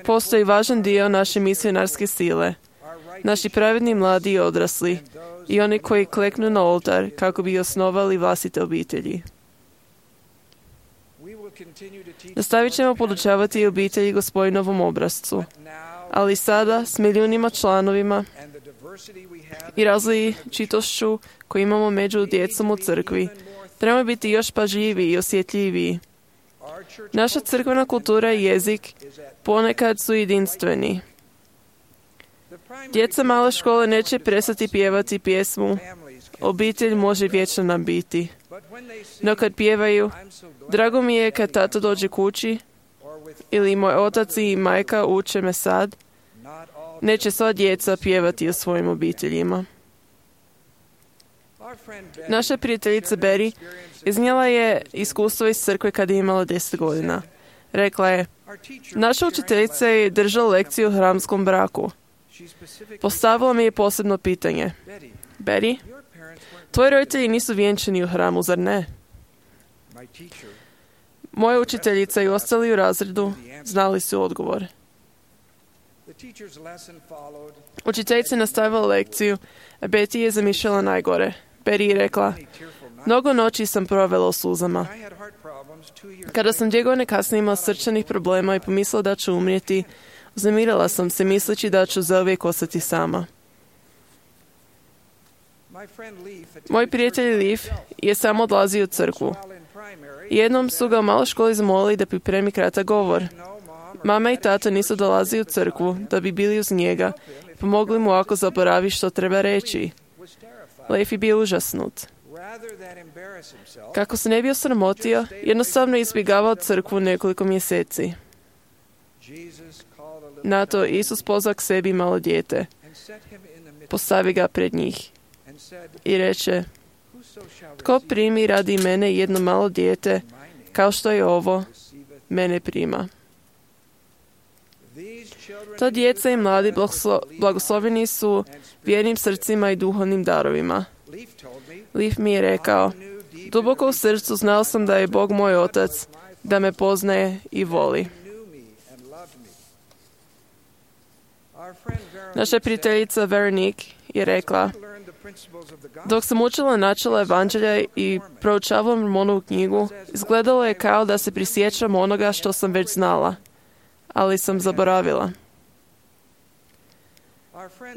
postoji važan dio naše misionarske sile, naši pravedni mladi i odrasli i oni koji kleknu na oltar kako bi osnovali vlastite obitelji. Nastavit ćemo podučavati obitelji Gospodinovom obrascu, ali sada s milijunima članovima i različitošću koju imamo među djecom u crkvi, trebamo biti još pažljiviji i osjetljiviji. Naša crkvena kultura i jezik ponekad su jedinstveni. Djeca male škole neće prestati pjevati pjesmu "Obitelj može vječno nam biti". No kad pjevaju "Drago mi je kad tata dođe kući" ili "Moj otac i majka uče me sad", neće sva djeca pjevati o svojim obiteljima. Naša prijateljica Betty iznijela je iskustvo iz crkve kad je imala 10 godina. Rekla je: "Naša učiteljica je držala lekciju o hramskom braku. Postavila mi je posebno pitanje: Betty, tvoji roditelji nisu vjenčani u hramu, zar ne?" Moja učiteljica i ostali u razredu znali su odgovor. Učiteljica je nastavila lekciju, a Betty je zamišljala najgore. Betty je rekla: "Mnogo noći sam provela u suzama. Kada sam 2 godine kasnije imala srčanih problema i pomislila da ću umrijeti, uznamirala sam se misleći da ću zauvijek ostati sama." Moj prijatelj Leaf je samo odlazio u crkvu. Jednom su ga u maloj školi zamolili da pripremi kratak govor. Mama i tata nisu dolazili u crkvu da bi bili uz njega i pomogli mu ako zaboravi što treba reći. Leaf je bio užasnut. Kako se ne bi osramotio, jednostavno je izbjegavao crkvu nekoliko mjeseci. Na to Isus pozvao k sebi malo dijete. Postavi ga pred njih i reče: "Tko primi radi mene jedno malo dijete, kao što je ovo, mene prima." Ta djeca i mladi blagosloveni su vjernim srcima i duhovnim darovima. Leaf mi je rekao: "Duboko u srcu znao sam da je Bog moj otac, da me poznaje i voli." Naša prijateljica Veronique je rekla: "Dok sam učila načela evanđelja i proučavala Mormonovu knjigu, izgledalo je kao da se prisjećam onoga što sam već znala, ali sam zaboravila."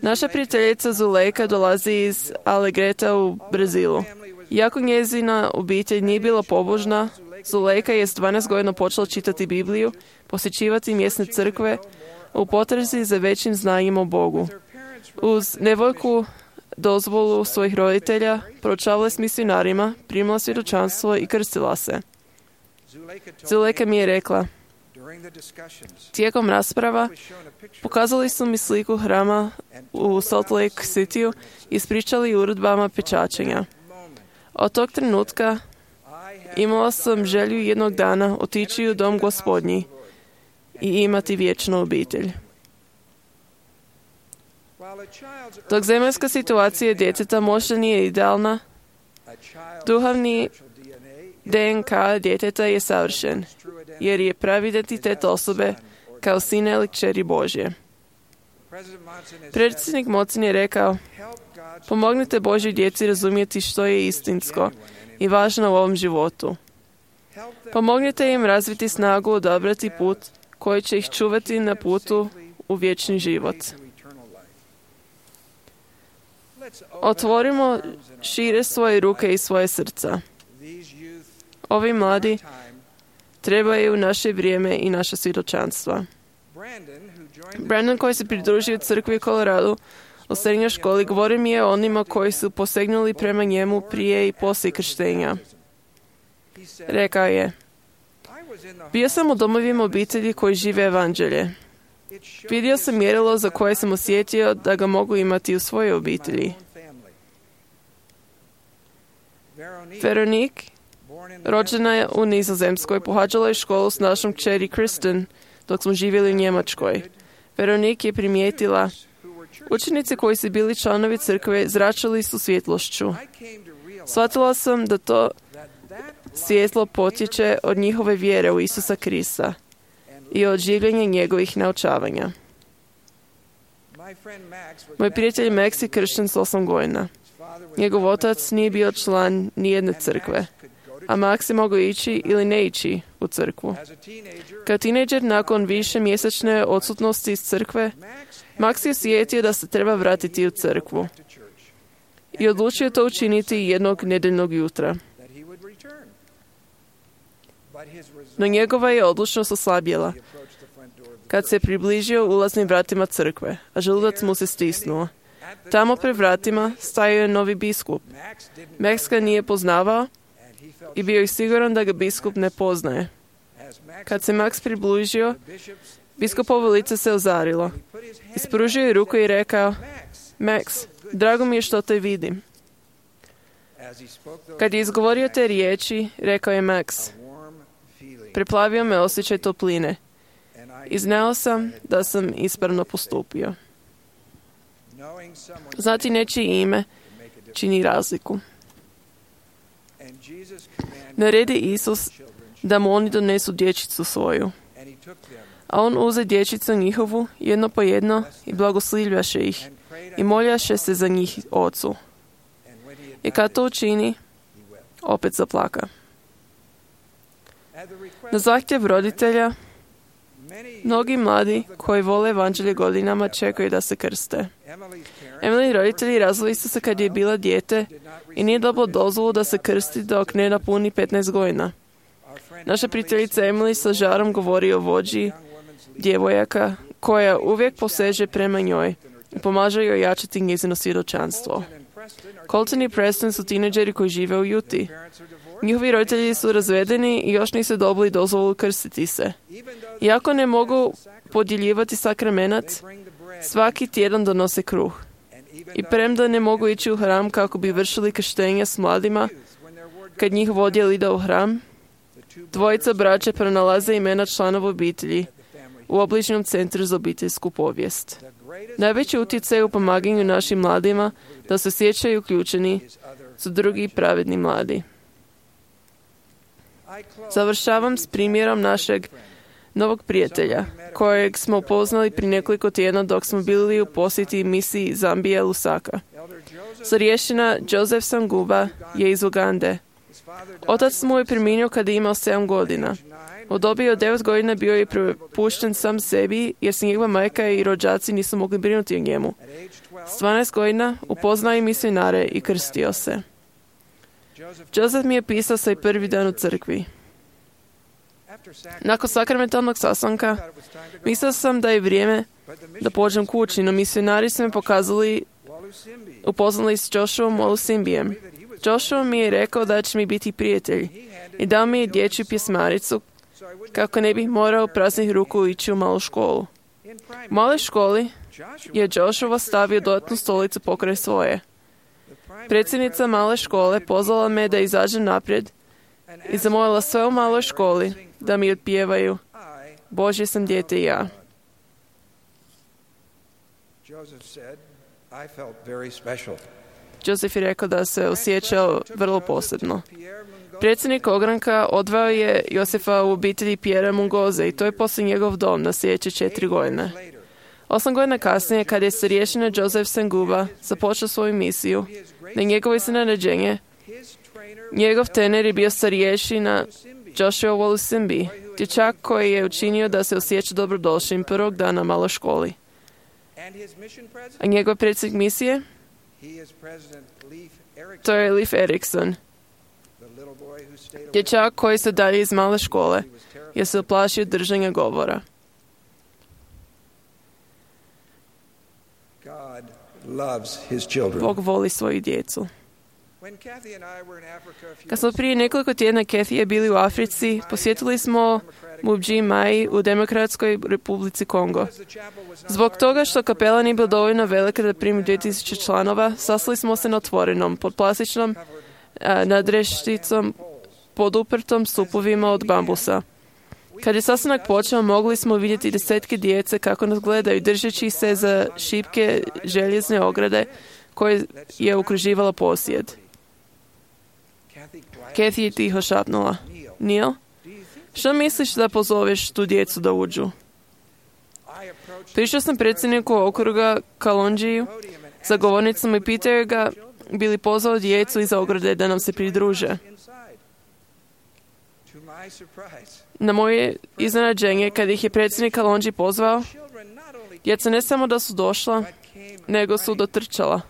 Naša prijateljica Zulejka dolazi iz Alegreta u Brazilu. Iako njezina obitelj nije bila pobožna, Zulejka je s 12 godina počela čitati Bibliju, posjećivati mjesne crkve, u potrazi za većim znanjem o Bogu. Uz nevoljku dozvolu svojih roditelja, proučavala s misionarima, primala svjedočanstvo i krstila se. Zulejka mi je rekla, tijekom rasprava pokazali su mi sliku hrama u Salt Lake Cityu i ispričali uredbama pečačenja. Od tog trenutka imala sam želju jednog dana otići u dom Gospodnji i imati vječnu obitelj. Dok zemaljska situacija djeteta možda nije idealna, duhovni DNK djeteta je savršen, jer je pravi identitet osobe kao sina ili kćeri Božje. Predsjednik Monson je rekao, pomognite Božjoj djeci razumjeti što je istinsko i važno u ovom životu. Pomognite im razviti snagu odabrati put koji će ih čuvati na putu u vječni život. Otvorimo šire svoje ruke i svoje srca. Ovi mladi trebaju naše vrijeme i naše svjedočanstva. Brandon, koji se pridružio crkvi u Koloradu u srednjoj školi, govori mi je o onima koji su posegnuli prema njemu prije i poslije krštenja. Rekao je, bio sam u domovima obitelji koji žive evanđelje. Vidio sam mjerilo za koje sam osjetio da ga mogu imati u svojoj obitelji. Veronique, rođena je u Nizozemskoj, pohađala je školu s našom kćeri Kristen dok smo živjeli u Njemačkoj. Veronique je primijetila, učenici koji su bili članovi crkve zračili su svjetlošću. Shvatila sam da to svjetlo potječe od njihove vjere u Isusa Krista i od življenja njegovih naučavanja. Moj prijatelj Max je kršten s 8 godina. Njegov otac nije bio član nijedne crkve, a Max je mogao ići ili ne ići u crkvu. Kao tinejdžer, nakon više mjesečne odsutnosti iz crkve, Max je osjetio da se treba vratiti u crkvu i odlučio to učiniti jednog nedeljnog jutra. No njegova je odlučnost oslabjela kad se približio ulaznim vratima crkve, a želudac mu se stisnuo. Tamo pred vratima stajao je novi biskup. Max ga nije poznavao i bio je siguran da ga biskup ne poznaje. Kad se Max približio, biskupovo lice se ozarilo. Ispružio je ruku i rekao, Max, drago mi je što te vidim. Kad je izgovorio te riječi, rekao je Max, preplavio me osjećaj topline i znao sam da sam ispravno postupio. Znati nečije ime čini razliku. Naredi Isus da mu oni donesu dječicu svoju. A on uze dječicu njihovu jedno po jedno i blagoslivljaše ih i moljaše se za njih ocu. I kad to učini, opet zaplaka. Na zahtjev roditelja, mnogi mladi koji vole evanđelje godinama čekaju da se krste. Emily roditelji razvili su se kad je bila dijete i nije dobilo dozvolu da se krsti dok ne napuni 15 godina. Naša prijateljica Emily sa žarom govori o vođi djevojaka koja uvijek poseže prema njoj i pomaže joj jačati njezino svjedočanstvo. Colton i Preston su tineđeri koji žive u Utah. Njihovi roditelji su razvedeni i još nisu dobili dozvolu krstiti se. Iako ne mogu podjeljivati sakramenat, svaki tjedan donose kruh. I premda ne mogu ići u hram kako bi vršili krštenja s mladima, kad njih odjel ide u hram, dvojica braće pronalaze imena članova obitelji u obližnjem centru za obiteljsku povijest. Najveći utjecaj u pomaganju našim mladima da se osjećaju uključeni su drugi pravedni mladi. Završavam s primjerom našeg novog prijatelja, kojeg smo upoznali prije nekoliko tjedna dok smo bili u posjeti misiji Zambija Lusaka. Starješina Joseph Sanguba je iz Ugande. Otac mu je preminio kada je imao 7 godina. U dobi od 9 godina bio je prepušten sam sebi jer se njegova majka i rođaci nisu mogli brinuti o njemu. S 12 godina upoznao je misionare i krstio se. Joseph mi je pisao svoj prvi dan u crkvi. Nakon sakramentalnog sastanka, mislio sam da je vrijeme da pođem kući, no misionari su me upoznali s Joshuom Walusimbijem. Joshua mi je rekao da će mi biti prijatelj i dao mi je dječju pjesmaricu kako ne bih morao praznih ruku ići u malu školu. U maloj školi je Joshua stavio dodatnu stolicu pokraj svoje. Predsjednica male škole pozvala me da izađem naprijed i zamolila sve u maloj školi da mi otpjevaju Božje sam dijete i ja. Joseph je rekao da se osjećao vrlo posebno. Predsjednik ogranka odveo je Josefa u obitelji Pierre Mungoze i to je poslije njegov dom na sljedeće 4 godine. 8 godina kasnije, kad je starješina Joseph Senguba započeo svoju misiju, na njegovo iznenađenje, njegov trener je bio starješina Joshua Walusimbi, dječak koji je učinio da se osjeća dobrodošlim prvog dana malo školi. A njegov predsjednik misije? To je Leif Erikson, dječak koji se dalje iz male škole jer se uplašio držanja govora. Bog voli svoju djecu. Kad smo prije nekoliko tjedna Kathy je bili u Africi, posjetili smo Mubji Mai u Demokratskoj Republici Kongo. Zbog toga što kapela nije bila dovoljno velika da primi 2000 članova, sastali smo se na otvorenom, pod plastičnom nadrešticom, pod uprtom stupovima od bambusa. Kad je sastanak počeo, mogli smo vidjeti desetke djece kako nas gledaju, držeći se za šipke željezne ograde koje je okruživala posjed. Kathy je tiho šapnula. Neil, što misliš da pozoveš tu djecu da uđu? Prišao sam predsjedniku okruga Kalonđiju za govornicom i pitao ga bi li pozvao djecu iz ograde da nam se pridruže. Na moje iznenađenje, kad ih je predsjednik Kalonđi pozvao, djeca ne samo da su došla, nego su dotrčala.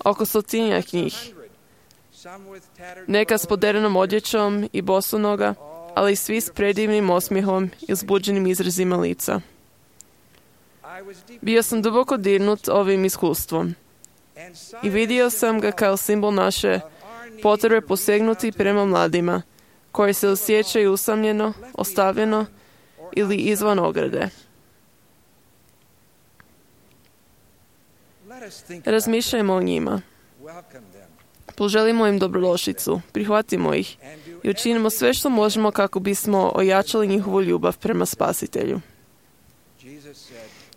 Oko 100 njih. Neka s poderenom odjećom i bosonoga, ali svi s predivnim osmijehom i uzbuđenim izrazima lica. Bio sam duboko dirnut ovim iskustvom i vidio sam ga kao simbol naše potrebe posegnuti prema mladima, koji se osjećaju usamljeno, ostavljeno ili izvan ograde. Razmišljajmo o njima. Poželimo im dobrodošlicu, prihvatimo ih i učinimo sve što možemo kako bismo ojačali njihovu ljubav prema Spasitelju.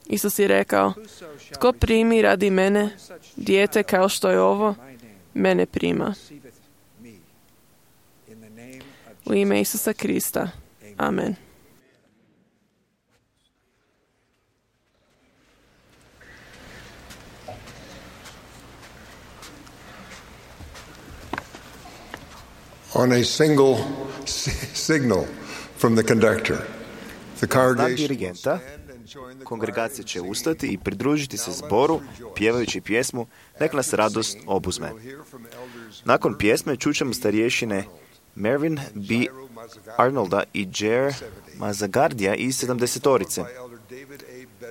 Isus je rekao, tko primi radi mene, dijete kao što je ovo, mene prima. U ime Isusa Krista. Amen. On a single signal from the conductor, the Znak dirigenta, kongregacija će ustati i pridružiti se zboru, pjevajući pjesmu Nek nas radost obuzme. Nakon pjesme čućemo starješine Mervyn B. Arnolda i Jer Mazagardija iz 70-orice.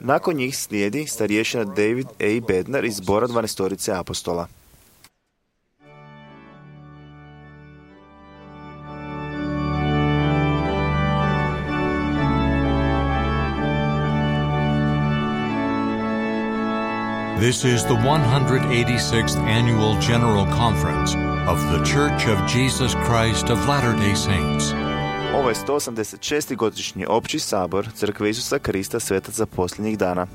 Nakon njih slijedi starješina David A. Bednar iz zbora 12-orice apostola. This is the 186th Annual General Conference of The Church of Jesus Christ of Latter-day Saints. Ovo je 186. godišnji opći sabor Crkve Isusa Krista svetaca posljednjih dana.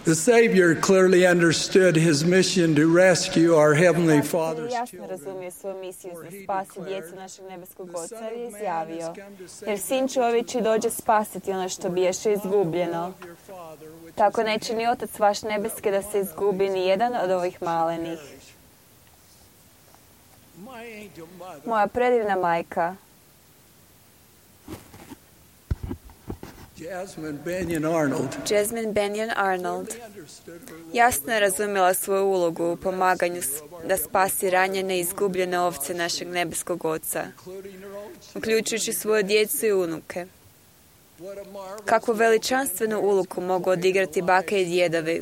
The Savior clearly understood his mission to rescue our Heavenly Father's jasno children. razumije svoju misiju da spasi djecu našeg nebeskog Oca jer je izjavio, jer Sin čovječi dođe spasiti ono što biješe izgubljeno. Tako neće ni Otac vaš nebeski da se izgubi ni jedan od ovih malenih. Moja predivna majka, Jasmine Benyon Arnold, jasno je razumjela svoju ulogu u pomaganju da spasi ranjene i izgubljene ovce našeg nebeskog Oca, uključujući svoju djecu i unuke. Kakvu veličanstvenu ulogu mogu odigrati bake i djedovi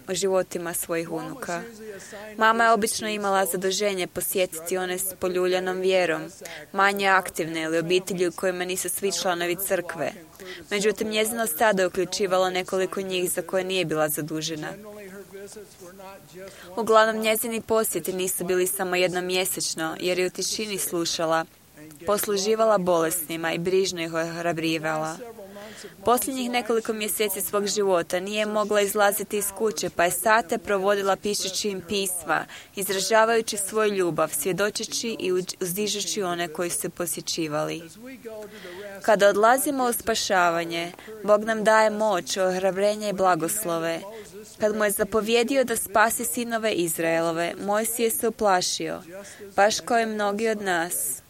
u životima svojih unuka. Mama je obično imala zaduženje posjetiti one s poljuljanom vjerom, manje aktivne ili obitelji u kojima nisu svi članovi crkve. Međutim, njezino stado je uključivalo nekoliko njih za koje nije bila zadužena. Uglavnom, njezini posjeti nisu bili samo jednomjesečno, jer je u tišini slušala, posluživala bolesnima i brižno ih ohrabrivala. Posljednjih nekoliko mjeseci svog života nije mogla izlaziti iz kuće, pa je sate provodila pišući im pisma, izražavajući svoju ljubav, svjedočeći i uzdižući one koji su posjećivali. Kada odlazimo u spašavanje, Bog nam daje moć, ohrabrenje i blagoslove. Kad mu je zapovjedio da spasi sinove Izraelove, Mojsije se uplašio, baš kao i mnogi od nas.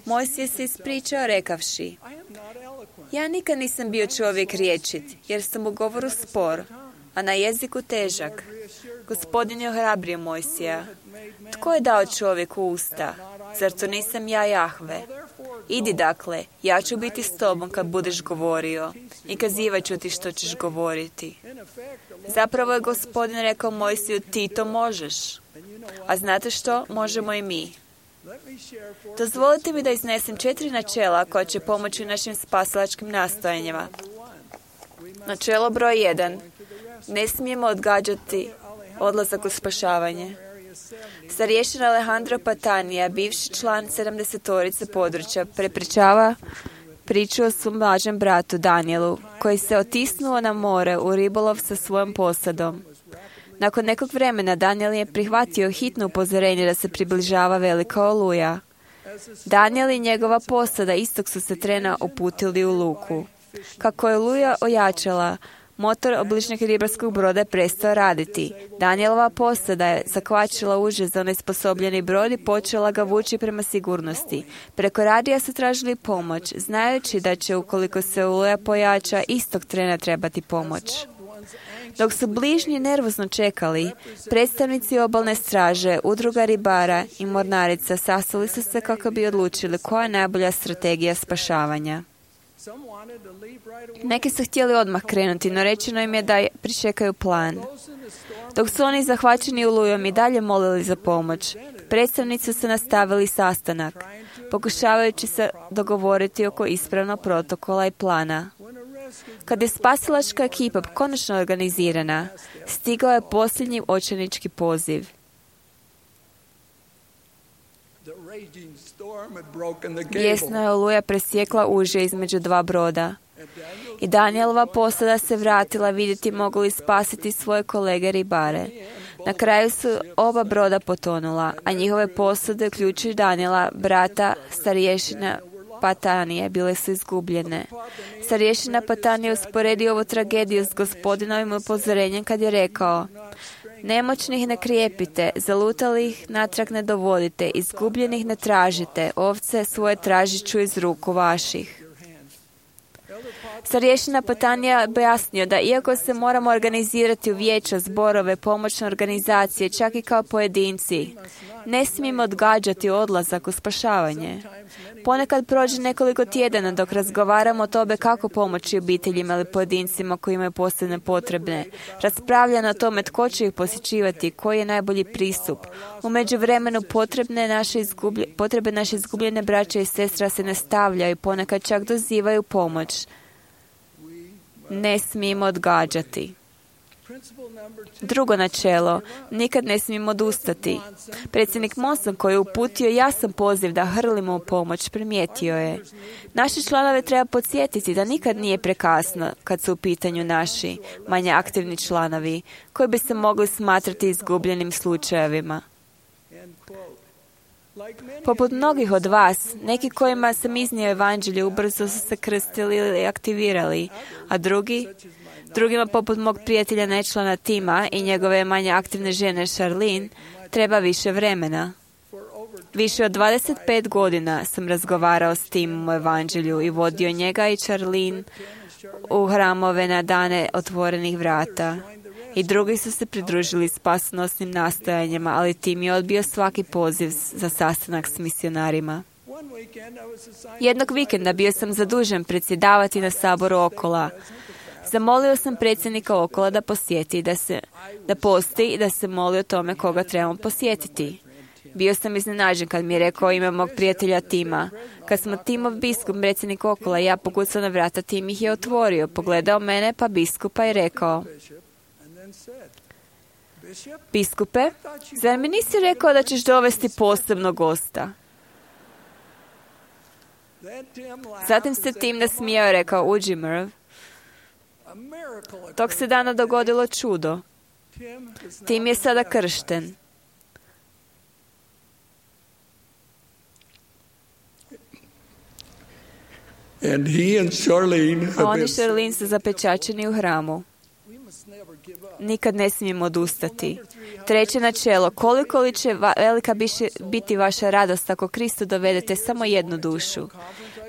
Mojsije se ispričao rekavši, ja nikad nisam bio čovjek rječit, jer sam u govoru spor, a na jeziku težak. Gospodin je ohrabrio Mojsija. Tko je dao čovjeku usta? Zar to nisam ja, Jahve? Idi dakle, ja ću biti s tobom kad budeš govorio i kazivat ću ti što ćeš govoriti. Zapravo je Gospodin rekao Mojsiju, ti to možeš. A znate što? Možemo i mi. Dozvolite mi da iznesem 4 načela koja će pomoći našim spasilačkim nastojanjima. Načelo broj 1. Ne smijemo odgađati odlazak u spašavanje. Starješin Alejandro Patanija, bivši član 70-torice područja, prepričava priču o svom mlađem bratu Danielu, koji se otisnuo na more u ribolov sa svojom posadom. Nakon nekog vremena Daniel je prihvatio hitno upozorenje da se približava velika oluja. Daniel i njegova posada istog su se trena uputili u luku. Kako je oluja ojačala, motor obližnjeg ribarskog broda je prestao raditi. Danielova posada je zakvačila uže za onesposobljeni brod i počela ga vući prema sigurnosti. Preko radija su tražili pomoć, znajući da će, ukoliko se oluja pojača, istog trena trebati pomoć. Dok su bližnji nervozno čekali, predstavnici obalne straže, udruga ribara i mornarica sastali su se kako bi odlučili koja je najbolja strategija spašavanja. Neki su htjeli odmah krenuti, no rečeno im je da pričekaju plan. Dok su oni zahvaćeni olujom i dalje molili za pomoć, predstavnici su nastavili sastanak, pokušavajući se dogovoriti oko ispravnog protokola i plana. Kad je spasilačka ekipa konačno organizirana, stigao je posljednji očajnički poziv. Bijesna je oluja presjekla uže između 2 broda. I Danielova posada se vratila vidjeti mogu li spasiti svoje kolege ribare. Na kraju su oba broda potonula, a njihove posade, uključujući Daniela, brata starješina Patanije, bile su izgubljene. Starješina Patanije usporedio ovu tragediju s Gospodinovim upozorenjem kad je rekao: nemoćnih ne krijepite, zalutalih natrag ne dovodite, izgubljenih ne tražite, ovce svoje tražit ću iz ruku vaših. Starješina Patanija objasnio da iako se moramo organizirati u vijeća, zborove, pomoćne organizacije, čak i kao pojedinci, ne smijemo odgađati odlazak u spašavanje. Ponekad prođe nekoliko tjedana dok razgovaramo o tome kako pomoći obiteljima ili pojedincima koji imaju posebne potrebe. Raspravljamo o tome tko će ih posjećivati, koji je najbolji pristup. U međuvremenu potrebe naše izgubljene braće i sestra se nastavljaju i ponekad čak dozivaju pomoć. Ne smijemo odgađati. Drugo načelo, nikad ne smijemo odustati. Predsjednik Monson, koji je uputio jasan poziv da hrlimo u pomoć, primijetio je: naše članove treba podsjetiti da nikad nije prekasno kad su u pitanju naši, manje aktivni članovi, koji bi se mogli smatrati izgubljenim slučajevima. Poput mnogih od vas, neki kojima sam iznio evanđelje ubrzo su se krstili ili aktivirali, a drugima poput mog prijatelja nečlana Tima i njegove manje aktivne žene Charlene, treba više vremena. Više od 25 godina sam razgovarao s Timom o evanđelju i vodio njega i Charlene u hramove na dane otvorenih vrata. I drugi su se pridružili spasonosnim nastojanjima, ali Tim je odbio svaki poziv za sastanak s misionarima. Jednog vikenda bio sam zadužen predsjedavati na saboru Okola. Zamolio sam predsjednika Okola da posjeti, da posti i da se moli o tome koga trebamo posjetiti. Bio sam iznenađen kad mi je rekao ime mog prijatelja Tima. Kad smo Timov biskup, predsjednik Okola, ja pokucao na vrata, Tim ih je otvorio, pogledao mene pa biskupa i rekao: biskupe, zar mi nisi rekao da ćeš dovesti posebnog gosta? Zatim se Tim nasmijao i rekao: uđi, Merv. Tog se dana dogodilo čudo. Tim je sada kršten. A on i Charlene su zapečačeni u hramu. Nikad ne smijemo odustati. Treće načelo, koliko li će velika biti vaša radost ako Kristu dovedete samo jednu dušu.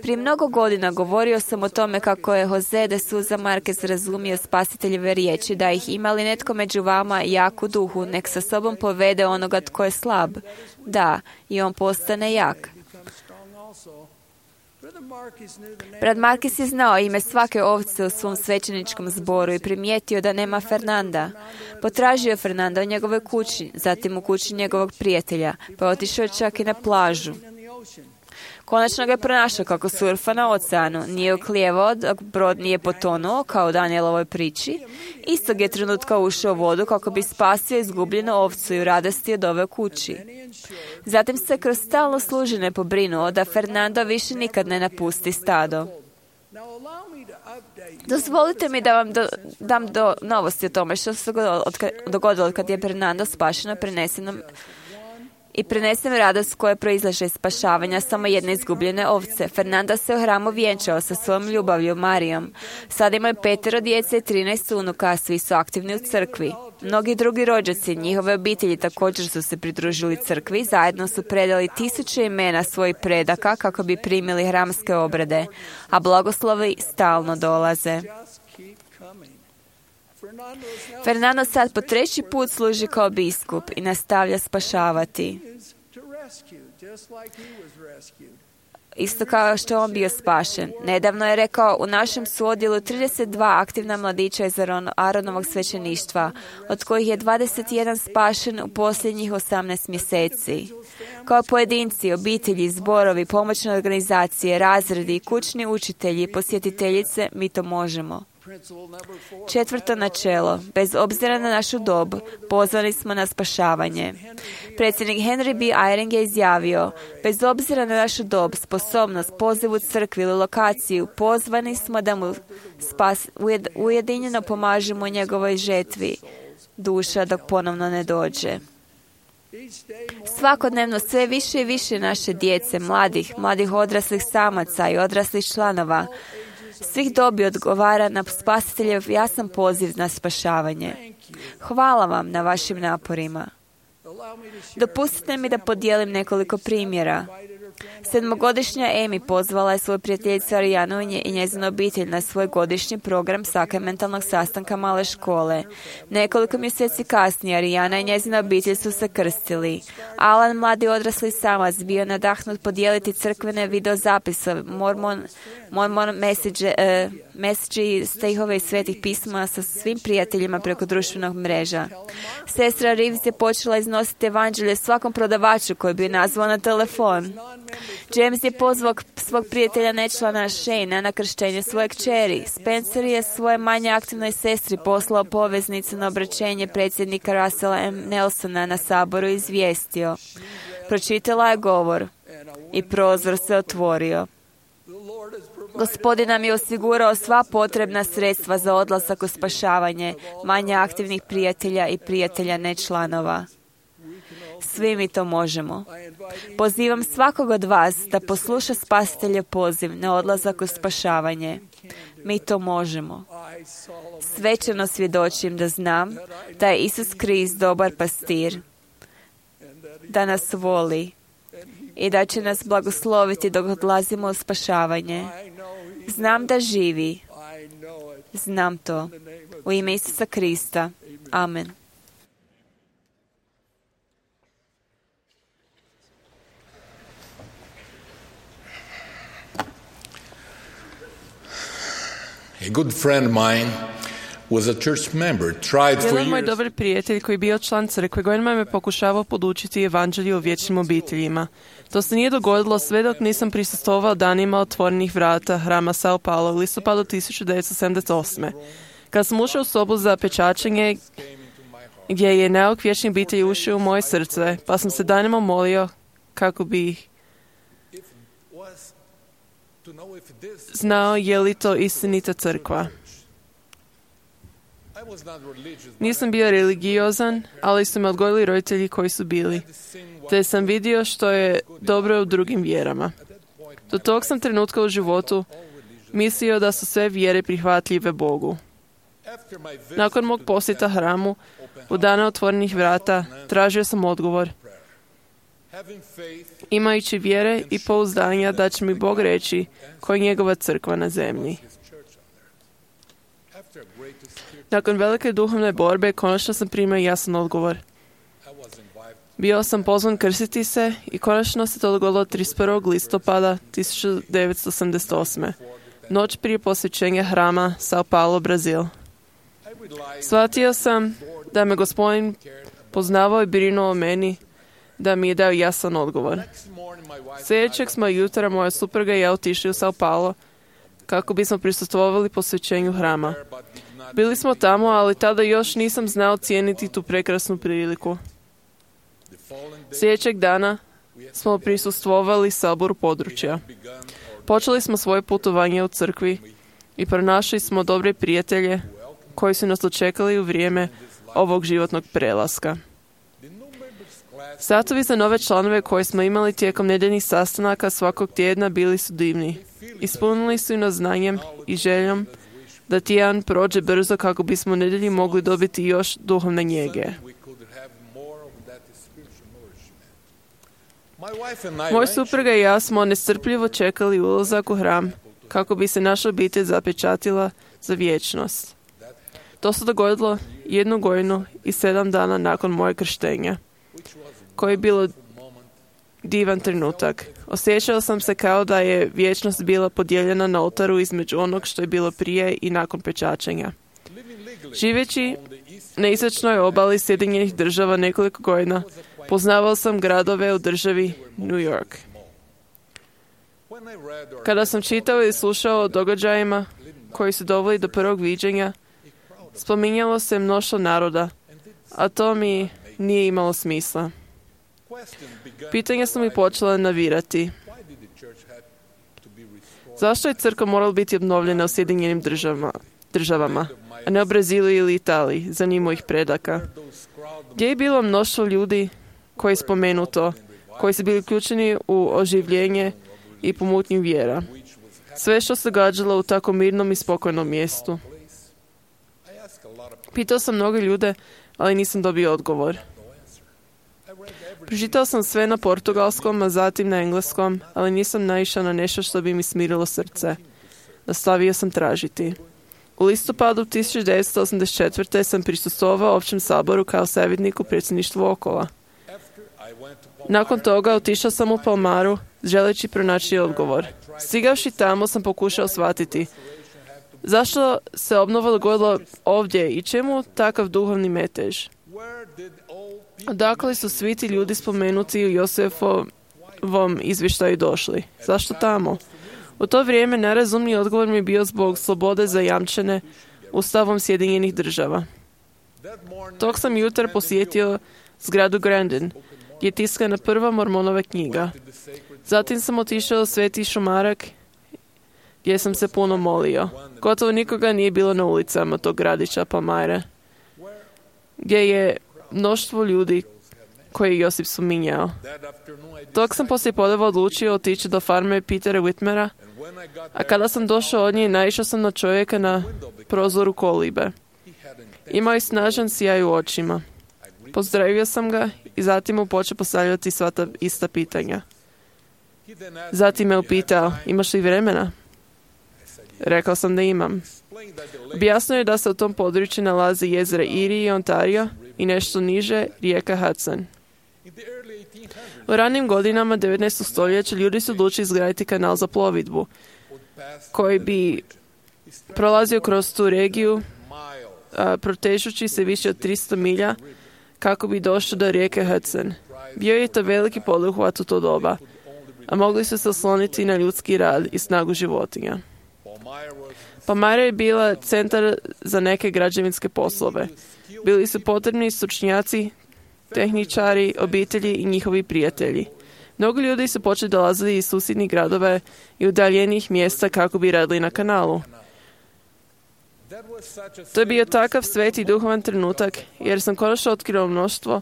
Prije mnogo godina govorio sam o tome kako je Jose de Souza Marquez razumio spasiteljeve riječi, da ih ima li netko među vama jak u duhu, nek sa sobom povede onoga tko je slab. Da, i on postane jak. Brat Marquez je znao ime svake ovce u svom svećeničkom zboru i primijetio da nema Fernanda. Potražio je Fernanda u njegovoj kući, zatim u kući njegovog prijatelja, pa je otišao čak i na plažu. Konačno ga je pronašao kako surfa na oceanu, nije oklijevao dok brod nije potonuo, kao u Danielovoj priči. Istog je trenutka ušao u vodu kako bi spasio izgubljenu ovcu i u radosti je doveo kući. Zatim se kroz stalno služenje pobrinuo da Fernando više nikad ne napusti stado. Dozvolite mi da vam dam novosti o tome što se dogodilo kad je Fernando spašeno i prenesen radost koja proizlaže iz spašavanja samo jedne izgubljene ovce. Fernando se u hramu vjenčao sa svojom ljubavlju Marijom. Sada imaju 5 djece i 13 unuka, a svi su aktivni u crkvi. Mnogi drugi rođaci, njihove obitelji također su se pridružili crkvi, zajedno su predali 1000 imena svojih predaka kako bi primili hramske obrede, a blagoslovi stalno dolaze. Fernando sad po 3. put služi kao biskup i nastavlja spašavati. Isto kao što je on bio spašen. Nedavno je rekao: u našem su odjelu 32 aktivna mladića iz Aronovog svećeništva, od kojih je 21 spašen u posljednjih 18 mjeseci. Kao pojedinci, obitelji, zborovi, pomoćne organizacije, razredi, kućni učitelji, posjetiteljice, mi to možemo. 4. načelo. Bez obzira na našu dob, pozvani smo na spašavanje. Predsjednik Henry B. Eyring je izjavio: bez obzira na našu dob, sposobnost, poziv u crkvi ili lokaciju, pozvani smo da mu ujedinjeno pomažemo u njegovoj žetvi duša dok ponovno ne dođe. Svakodnevno sve više i više naše djece, mladih odraslih samaca i odraslih članova svih dobi odgovara na spasiteljev jasan poziv na spašavanje. Hvala vam na vašim naporima. Dopustite mi da podijelim nekoliko primjera. 7-godišnja Amy pozvala je svoju prijateljicu Arijanu i njezinu obitelj na svoj godišnji program sakramentalnog sastanka male škole. Nekoliko mjeseci kasnije Arijana i njezina obitelj su se krstili. Alan, mladi odrasli samac, bio nadahnut podijeliti crkvene videozapise, mormon message i stihove iz svetih pisma sa svim prijateljima preko društvenog mreža. Sestra Reeves je počela iznositi evanđelje svakom prodavaču koji bi je nazvao na telefon. James je pozvao svog prijatelja nečlana Shane na krštenje svoje kćeri. Spencer je svoje manje aktivnoj sestri poslao poveznicu na obraćenje predsjednika Russella M. Nelsona na saboru i izvijestio. Pročitala je govor i prozor se otvorio. Gospodin nam je osigurao sva potrebna sredstva za odlazak u spašavanje manje aktivnih prijatelja i prijatelja nečlanova. Svi mi to možemo. Pozivam svakog od vas da posluša Spasiteljev poziv na odlazak u spašavanje. Mi to možemo. Svečano svjedočim da znam da je Isus Krist dobar pastir, da nas voli i da će nas blagosloviti dok odlazimo u spašavanje. Znam da živi. Znam to. U ime Isusa Krista. Amen. A good friend of mine was a church member, tried for Jedan moj years. dobar prijatelj koji je bio član crkve godinama me pokušavao podučiti evanđelju o vječnim obiteljima. To se nije dogodilo sve dok nisam prisustvovao danima otvorenih vrata hrama Sao Paulo u listopadu 1978. Kad sam ušao u sobu za pečačenje gdje je nauk vječnih obitelji ušao u moje srce, pa sam se danima molio kako bi znao je li to istinita crkva. Nisam bio religiozan, ali su me odgojili roditelji koji su bili, te sam vidio što je dobro u drugim vjerama. Do tog sam trenutka u životu mislio da su sve vjere prihvatljive Bogu. Nakon mog posjeta hramu, u dana otvorenih vrata, tražio sam odgovor. Imajući vjere i pouzdanja da će mi Bog reći koja je njegova crkva na zemlji. Nakon velike duhovne borbe, konačno sam primio jasan odgovor. Bio sam pozvan krstiti se i konačno se to dogodilo 31. listopada 1988. Noć prije posvećenja hrama Sao Paulo, Brazil. Shvatio sam da me Gospodin poznavao i brinuo o meni, da mi je dao jasan odgovor. Sljedećeg smo jutra moja supruga i ja otišli u Sao Paulo kako bismo prisustvovali posvećenju hrama. Bili smo tamo, ali tada još nisam znao cijeniti tu prekrasnu priliku. Sljedećeg dana smo prisustvovali saboru područja. Počeli smo svoje putovanje u crkvi i pronašli smo dobre prijatelje koji su nas dočekali u vrijeme ovog životnog prelaska. Satovi za nove članove koje smo imali tijekom nedeljnih sastanaka svakog tjedna bili su divni. Ispunili su nas znanjem i željom da tjedan prođe brzo kako bismo u nedjelji mogli dobiti još duhovne njege. Moj supruga i ja smo nestrpljivo čekali ulazak u hram kako bi se naša obitelj zapečatila za vječnost. To se dogodilo 1 godinu i 7 dana nakon moje krštenja, koji je bilo divan trenutak. Osjećao sam se kao da je vječnost bila podijeljena na oltaru između onog što je bilo prije i nakon pečačenja. Živeći na istočnoj obali Sjedinjenih Država nekoliko godina, poznavao sam gradove u državi New York. Kada sam čitao i slušao o događajima koji su doveli do prvog viđenja, spominjalo se mnoštvo naroda, a to mi nije imalo smisla. Pitanja su mi počela navirati. Zašto je crkva morala biti obnovljena u Sjedinjenim državama, a ne u Brazilu ili Italiji, za njih mojih predaka? Gdje je bilo mnoštvo ljudi koji je spomenuto, koji su bili uključeni u oživljenje i pomutnju vjera? Sve što se događalo u tako mirnom i spokojnom mjestu. Pitao sam mnogo ljude, ali nisam dobio odgovor. Pročitao sam sve na portugalskom, a zatim na engleskom, ali nisam naišao na nešto što bi mi smirilo srce. Nastavio sam tražiti. U listopadu 1984. sam prisustvovao općem saboru kao savjetnik u predsjedništvu Okola. Nakon toga otišao sam u Palmaru, želeći pronaći odgovor. Stigavši tamo sam pokušao shvatiti zašto se obnova dogodila ovdje i čemu takav duhovni metež. Odakle su svi ti ljudi spomenuti u ovom izvještaju došli? Zašto tamo? U to vrijeme najrazumniji odgovor mi je bio zbog slobode zajamčene Ustavom Sjedinjenih država. Tog sam jutra posjetio zgradu Grandin, gdje je tiskana prva Mormonova knjiga. Zatim sam otišao u Sveti Šumarak, gdje sam se puno molio. Gotovo nikoga nije bilo na ulicama tog gradića Palmyre, gdje je mnoštvo ljudi koje je Josip spominjao. Tog sam poslije podneva odlučio otići do farme Petera Whitmera, a kada sam došao od nje, naišao sam na čovjeka na prozoru kolibe. Imao je snažan sjaj u očima. Pozdravio sam ga i zatim mu počeo postavljati sva ta ista pitanja. Zatim me upitao, imaš li vremena? Rekao sam da imam. Objasnio je da se u tom području nalazi jezera Erie i Ontario i nešto niže rijeka Hudson. U ranim godinama 19. stoljeća ljudi su odlučili izgraditi kanal za plovidbu, koji bi prolazio kroz tu regiju, protežući se više od 300 milja, kako bi došao do rijeke Hudson. Bio je to veliki poduhvat u to doba, a mogli su se osloniti na ljudski rad i snagu životinja. Palmyra je bila centar za neke građevinske poslove. Bili su potrebni stručnjaci, tehničari, obitelji i njihovi prijatelji. Mnogo ljudi su počeli dolaziti iz susjednih gradova i udaljenih mjesta kako bi radili na kanalu. To je bio takav sveti duhovan trenutak, jer sam konačno otkrio mnoštvo.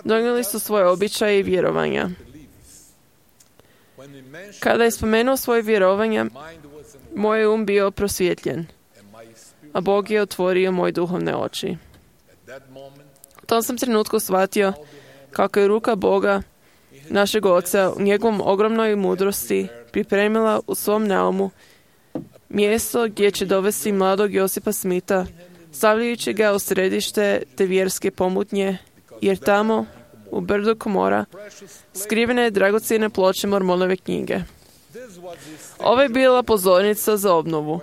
Donijeli su svoje običaje i vjerovanja. Kada je spomenuo svoje vjerovanja, moj um bio prosvjetljen, a Bog je otvorio moje duhovne oči. U tom sam trenutku shvatio kako je ruka Boga, našeg Oca, u njegovom ogromnoj mudrosti pripremila u svom naumu mjesto gdje će dovesti mladog Josipa Smitha, stavljajući ga u središte te vjerske pomutnje, jer tamo, u brdu Komora, skrivene je dragocjene ploče Mormonove knjige. Ovo je bila pozornica za obnovu,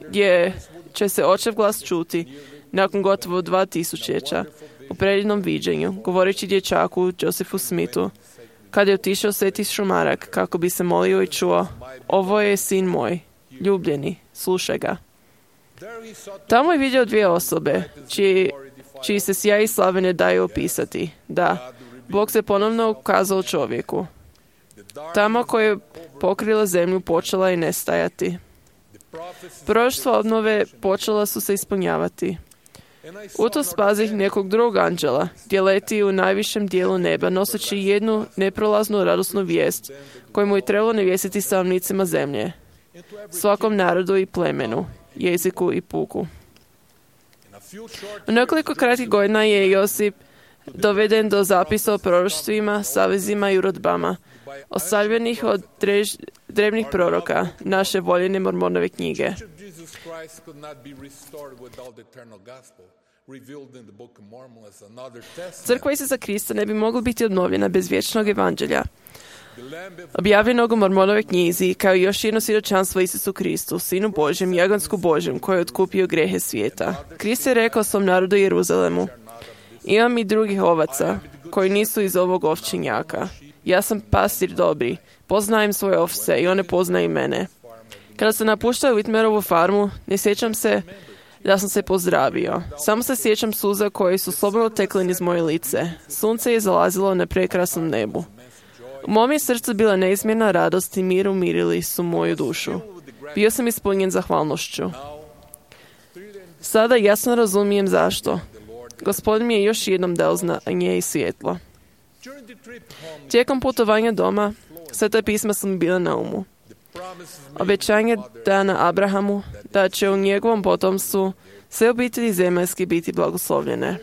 gdje će se očev glas čuti nakon gotovo 2000 u predivnom viđenju, govoreći dječaku Josephu Smithu, kad je otišao Sveti Šumarak kako bi se molio i čuo, ovo je sin moj, ljubljeni, slušaj ga. Tamo je vidio dvije osobe, čiji se sjaj i slave ne daju opisati. Da, Bog se ponovno ukazao čovjeku. Tamo koje je pokrila zemlju počela je nestajati. Proroštva obnove počela su se ispunjavati. U to spazih nekog drugog anđela, gdje leti u najvišem dijelu neba, noseći jednu neprolaznu radosnu vijest, koju mu je trebalo navijestiti stanovnicima zemlje, svakom narodu i plemenu, jeziku i puku. U nekoliko kratkih godina je Josip doveden do zapisa o proroštvima, savezima i urodbama, ostavljenih od drevnih proroka, naše voljene Mormonove knjige. Crkva Isusa Krista ne bi mogla biti obnovljena bez vječnog evanđelja, objavljenog u Mormonove knjizi, kao i još jedno svjedočanstvo Isusu Kristu, Sinu Božjem, Jagansku Božjem, koji je otkupio grehe svijeta. Krist je rekao svom narodu Jeruzalemu, imam i drugih ovaca, koji nisu iz ovog ovčinjaka. Ja sam pastir dobri, poznajem svoje ovce i one poznaju mene. Kada sam napuštao Whitmerovu farmu, ne sjećam se da sam se pozdravio. Samo se sjećam suza koje su slobodno tekle niz moje lice. Sunce je zalazilo na prekrasnom nebu. U mom je srcu bila neizmjerna radost i mir umirili su moju dušu. Bio sam ispunjen zahvalnošću. Sada jasno razumijem zašto. Gospodin mi je još jednom dao znanje i svjetlo. Tijekom putovanja doma, Sveta pisma su mi bila na umu. Obećanje dana Abrahamu da će u njegovom potomstvu sve obitelji zemaljski biti blagoslovljene.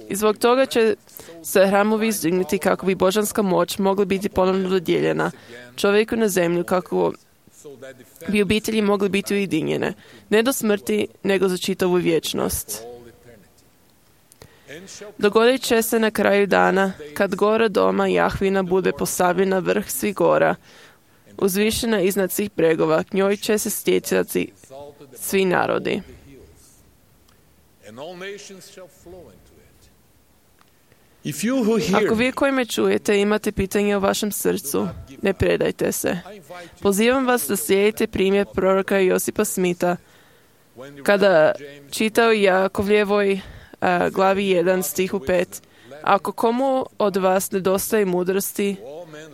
I zbog toga će se hramovi izdignuti kako bi božanska moć mogla biti ponovno dodijeljena čovjeku na zemlju, kako bi obitelji mogli biti ujedinjene, ne do smrti, nego za čitavu vječnost. Dogodit će se na kraju dana, kad gora doma Jahvina bude postavljena vrh svih gora, uzvišena iznad svih bregova, k njoj će se stjecati svi narodi. Ako vi koji me čujete imate pitanje u vašem srcu, ne predajte se. Pozivam vas da slijedite primjer proroka Josipa Smitha. Kada čitao Jakovljevoj glavi 1 stihu 5, ako komu od vas nedostaje mudrosti,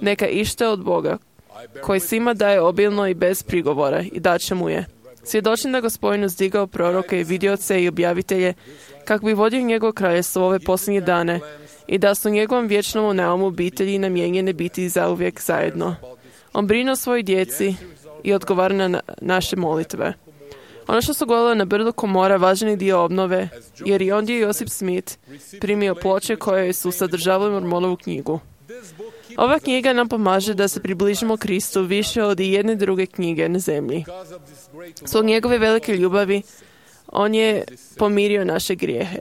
neka ište od Boga, koji svima daje obilno i bez prigovora, i daće mu je. Svjedočim da Gospodin uzdigao proroke i vidioce i objavitelje, kako bi vodio njegovo kraljestvo ove posljednje dane, i da su njegovom vječnom naumu obitelji namijenjene biti zauvijek zajedno. On brine o svojoj djeci i odgovara na naše molitve. Ono što su govorili na brdu Komora važan je dio obnove, jer i ondje Josip Smith primio ploče koje su sadržavale Mormonovu knjigu. Ova knjiga nam pomaže da se približimo Kristu više od i jedne druge knjige na zemlji. Zbog njegove velike ljubavi, on je pomirio naše grijehe.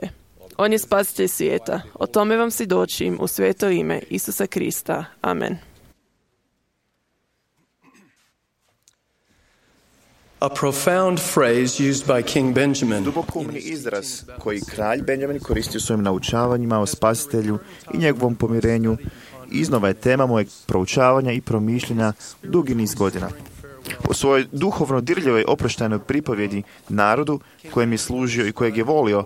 On je spasitelj svijeta. O tome vam svjedočim u sveto ime Isusa Krista. Amen. A profound phrase used by King Benjamin. Dubokoumni izraz koji kralj Benjamin koristio u svojim naučavanjima o spasitelju i njegovom pomirenju iznova je tema mojeg proučavanja i promišljanja dugi niz godina. U svojoj duhovno dirljivoj oproštajnoj pripovjedi narodu kojem je služio i kojeg je volio,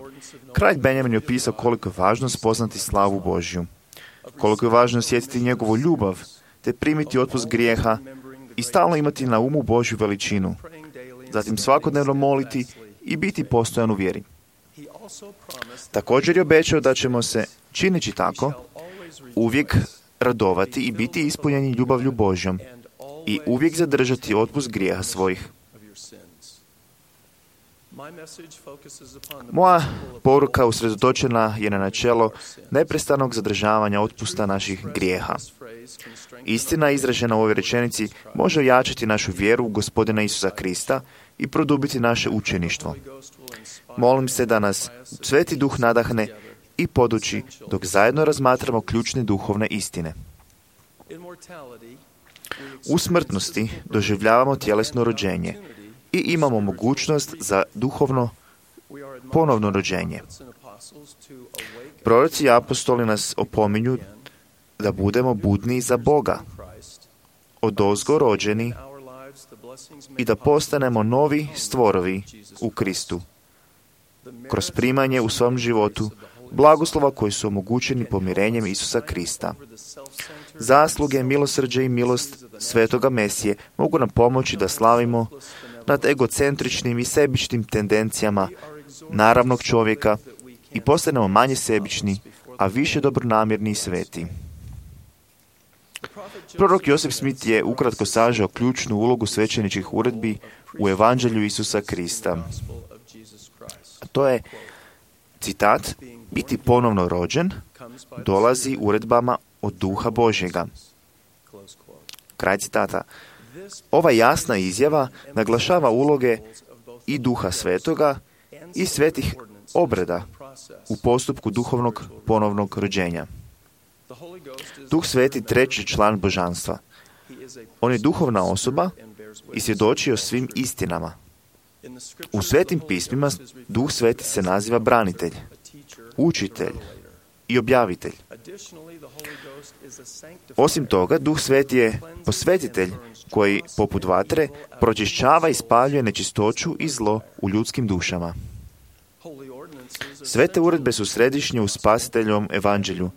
kralj Benjamin je opisao koliko je važno spoznati slavu Božju, koliko je važno osjetiti njegovu ljubav, te primiti otpust grijeha i stalno imati na umu Božju veličinu, zatim svakodnevno moliti i biti postojan u vjeri. Također je obećao da ćemo se, čineći tako, uvijek radovati i biti ispunjeni ljubavlju Božjom i uvijek zadržati otpust grijeha svojih. Moja poruka usredotočena je na načelo neprestanog zadržavanja otpusta naših grijeha. Istina izražena u ovoj rečenici može ojačati našu vjeru u Gospodina Isusa Krista i produbiti naše učeništvo. Molim se da nas Sveti Duh nadahne i poduči dok zajedno razmatramo ključne duhovne istine. U smrtnosti doživljavamo tjelesno rođenje i imamo mogućnost za duhovno ponovno rođenje. Proroci i apostoli nas opominju da budemo budni za Boga, odozgo rođeni i da postanemo novi stvorovi u Kristu, kroz primanje u svom životu blagoslova koji su omogućeni pomirenjem Isusa Krista. Zasluge, milosrđe i milost Svetoga Mesije mogu nam pomoći da slavimo nad egocentričnim i sebičnim tendencijama naravnog čovjeka i postanemo manje sebični, a više dobronamjerni i sveti. Prorok Josip Smith je ukratko sažao ključnu ulogu svećeničkih uredbi u Evanđelju Isusa Krista. To je, citat, biti ponovno rođen dolazi uredbama od Duha Božjega. Kraj citata. Ova jasna izjava naglašava uloge i Duha Svetoga i svetih obreda u postupku duhovnog ponovnog rođenja. Duh Sveti treći član božanstva. On je duhovna osoba i svjedoči o svim istinama. U Svetim pismima Duh Sveti se naziva branitelj, učitelj i objavitelj. Osim toga, Duh Sveti je posvetitelj koji, poput vatre, pročišćava i spaljuje nečistoću i zlo u ljudskim dušama. Svete uredbe su središnje u spasiteljovom evanđelju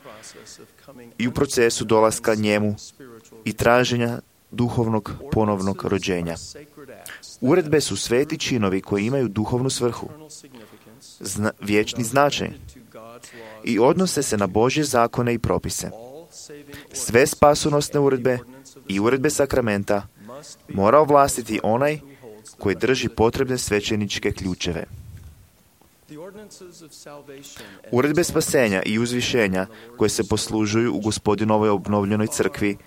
i u procesu dolaska njemu i traženja duhovnog ponovnog rođenja. Uredbe su sveti činovi koji imaju duhovnu svrhu, vječni značaj i odnose se na Božje zakone i propise. Sve spasonosne uredbe i uredbe sakramenta mora ovlastiti onaj koji drži potrebne svećeničke ključeve. Uredbe spasenja i uzvišenja koje se poslužuju u Gospodinovoj obnovljenoj crkvi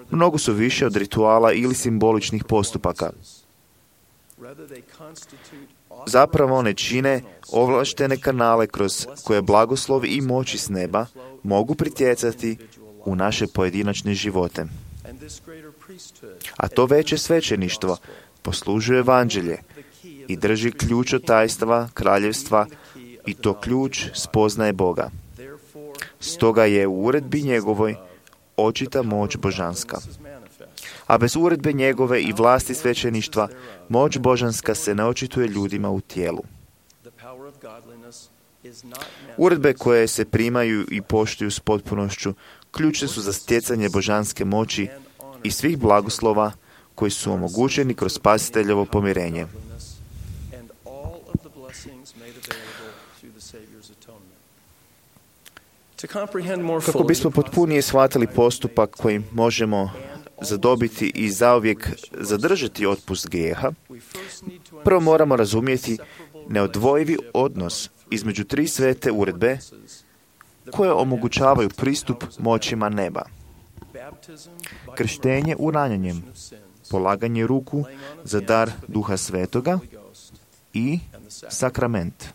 mnogo su više od rituala ili simboličnih postupaka. Zapravo one čine ovlaštene kanale kroz koje blagoslovi i moći s neba mogu pritjecati u naše pojedinačne živote. A to veće svećeništvo poslužuje evanđelje i drži ključ od tajstva kraljevstva i to ključ spoznaje Boga. Stoga je u uredbi njegovoj očita moć božanska. A bez uredbe njegove i vlasti svećeništva, moć božanska se ne očituje ljudima u tijelu. Uredbe koje se primaju i poštuju s potpunošću ključne su za stjecanje božanske moći i svih blagoslova koji su omogućeni kroz spasiteljevo pomirenje. Kako bismo potpunije shvatili postupak kojim možemo zadobiti i zauvijek zadržati otpust grijeha, prvo moramo razumjeti neodvojivi odnos između tri svete uredbe koje omogućavaju pristup moćima neba. Krštenje uranjanjem, polaganje ruku za dar Duha Svetoga i sakrament.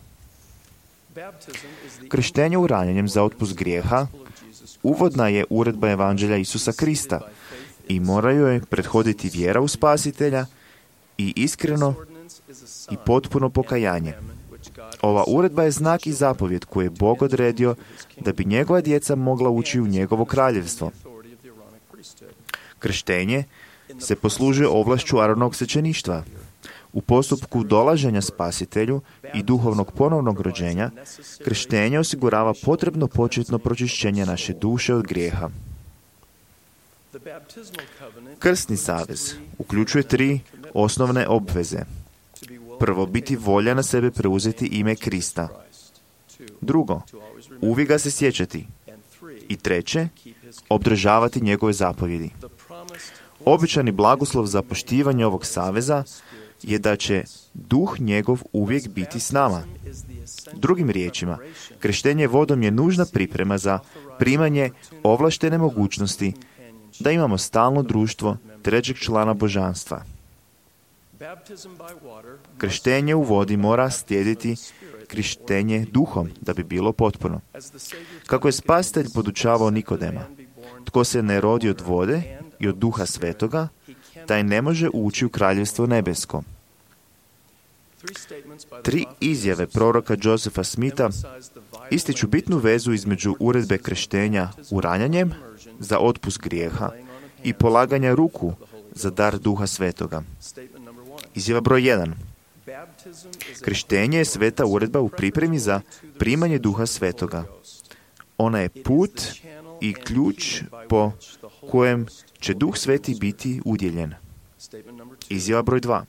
Krštenje uranjanjem za otpust grijeha uvodna je uredba Evanđelja Isusa Krista i mora joj prethoditi vjera u Spasitelja i iskreno i potpuno pokajanje. Ova uredba je znak i zapovjed koji je Bog odredio da bi njegova djeca mogla ući u njegovo kraljevstvo. Krštenje se poslužuje ovlašću Aronovog svećeništva. U postupku dolaženja Spasitelju i duhovnog ponovnog rođenja, krštenje osigurava potrebno početno pročišćenje naše duše od grijeha. Krstni savez uključuje tri osnovne obveze. Prvo, biti volja na sebe preuzeti ime Krista. Drugo, uvijek ga se sjećati. I treće, obdržavati njegove zapovjedi. Običani blagoslov za poštivanje ovog saveza je da će duh njegov uvijek biti s nama. Drugim riječima, krštenje vodom je nužna priprema za primanje ovlaštene mogućnosti da imamo stalno društvo trećeg člana božanstva. Krštenje u vodi mora slijediti krštenje duhom da bi bilo potpuno. Kako je Spasitelj podučavao Nikodema, tko se ne rodi od vode i od Duha Svetoga, taj ne može ući u kraljevstvo nebesko. Tri izjave proroka Josepha Smitha ističu bitnu vezu između uredbe krštenja uranjanjem za otpust grijeha i polaganja ruku za dar Duha Svetoga. Izjava broj 1. Krštenje je sveta uredba u pripremi za primanje Duha Svetoga. Ona je put i ključ po kojem će Duh Sveti biti udjeljen. Izjava broj 2.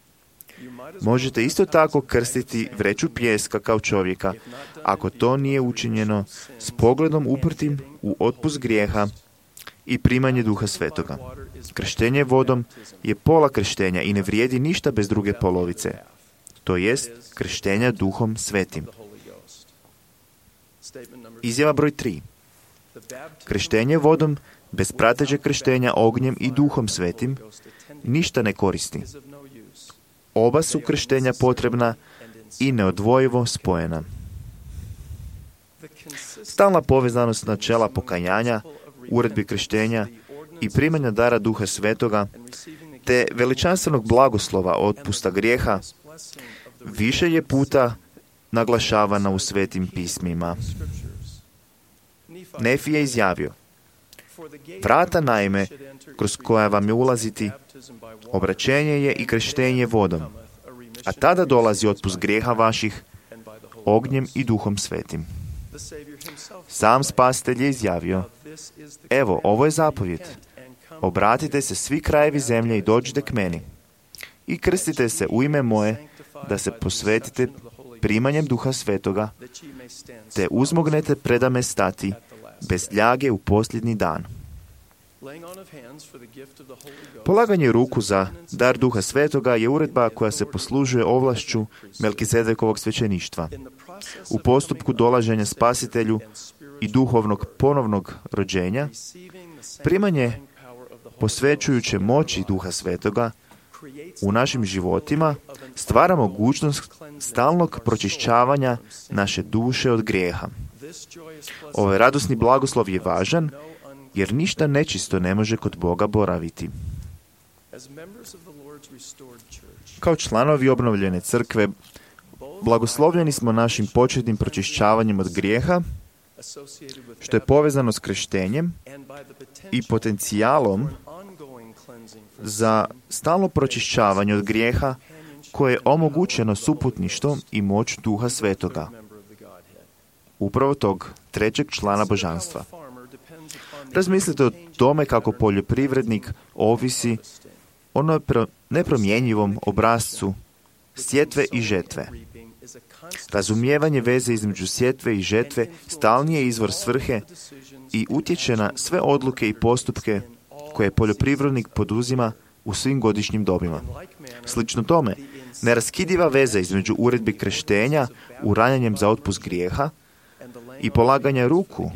Možete isto tako krstiti vreću pijeska kao čovjeka, ako to nije učinjeno s pogledom uprtim u otpust grijeha i primanje Duha Svetoga. Krštenje vodom je pola krštenja i ne vrijedi ništa bez druge polovice, to jest krštenja Duhom Svetim. Izjava broj 3. Krštenje vodom bez pratećeg krštenja ognjem i Duhom Svetim ništa ne koristi. Oba su krštenja potrebna i neodvojivo spojena. Stalna povezanost načela pokajanja, uredbi krštenja i primanja dara Duha Svetoga, te veličanstvenog blagoslova otpusta grijeha, više je puta naglašavana u svetim pismima. Nefi je izjavio: vrata naime, kroz koja vam je ulaziti, obraćenje je i krštenje vodom, a tada dolazi otpust grijeha vaših ognjem i Duhom Svetim. Sam Spasitelj je izjavio: evo, ovo je zapovjed. Obratite se svi krajevi zemlje i dođite k meni. I krstite se u ime moje, da se posvetite primanjem Duha Svetoga, te uzmognete predame stati bez ljage u posljednji dan. Polaganje ruku za dar Duha Svetoga je uredba koja se poslužuje ovlašću Melkizedekovog svećeništva. U postupku dolaženja Spasitelju i duhovnog ponovnog rođenja, primanje posvećujuće moći Duha Svetoga u našim životima stvara mogućnost stalnog pročišćavanja naše duše od grijeha. Ovaj radosni blagoslov je važan, jer ništa nečisto ne može kod Boga boraviti. Kao članovi obnovljene crkve, blagoslovljeni smo našim početnim pročišćavanjem od grijeha što je povezano s krštenjem i potencijalom za stalno pročišćavanje od grijeha koje je omogućeno suputništvom i moć Duha Svetoga, upravo tog trećeg člana božanstva. Razmislite o tome kako poljoprivrednik ovisi o nepromjenjivom obrascu sjetve i žetve. Razumijevanje veze između sjetve i žetve stalni je izvor svrhe i utječe na sve odluke i postupke koje poljoprivrednik poduzima u svim godišnjim dobima. Slično tome, neraskidiva veza između uredbi krštenja uranjanjem za otpust grijeha i polaganja ruku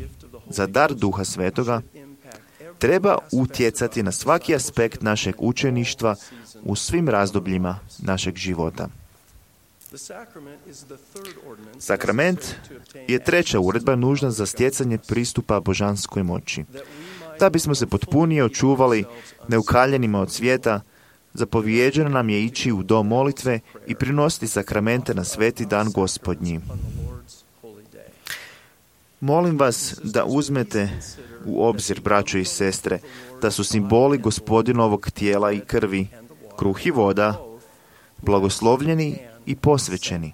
za dar Duha Svetoga treba utjecati na svaki aspekt našeg učeništva u svim razdobljima našeg života. Sakrament je treća uredba nužna za stjecanje pristupa božanskoj moći. Da bismo se potpunije očuvali neukaljenima od svijeta, zapovjeđeno nam je ići u dom molitve i prinositi sakramente na sveti dan Gospodnji. Molim vas da uzmete u obzir, braćo i sestre, da su simboli Gospodinovog tijela i krvi, kruh i voda, blagoslovljeni i posvećeni.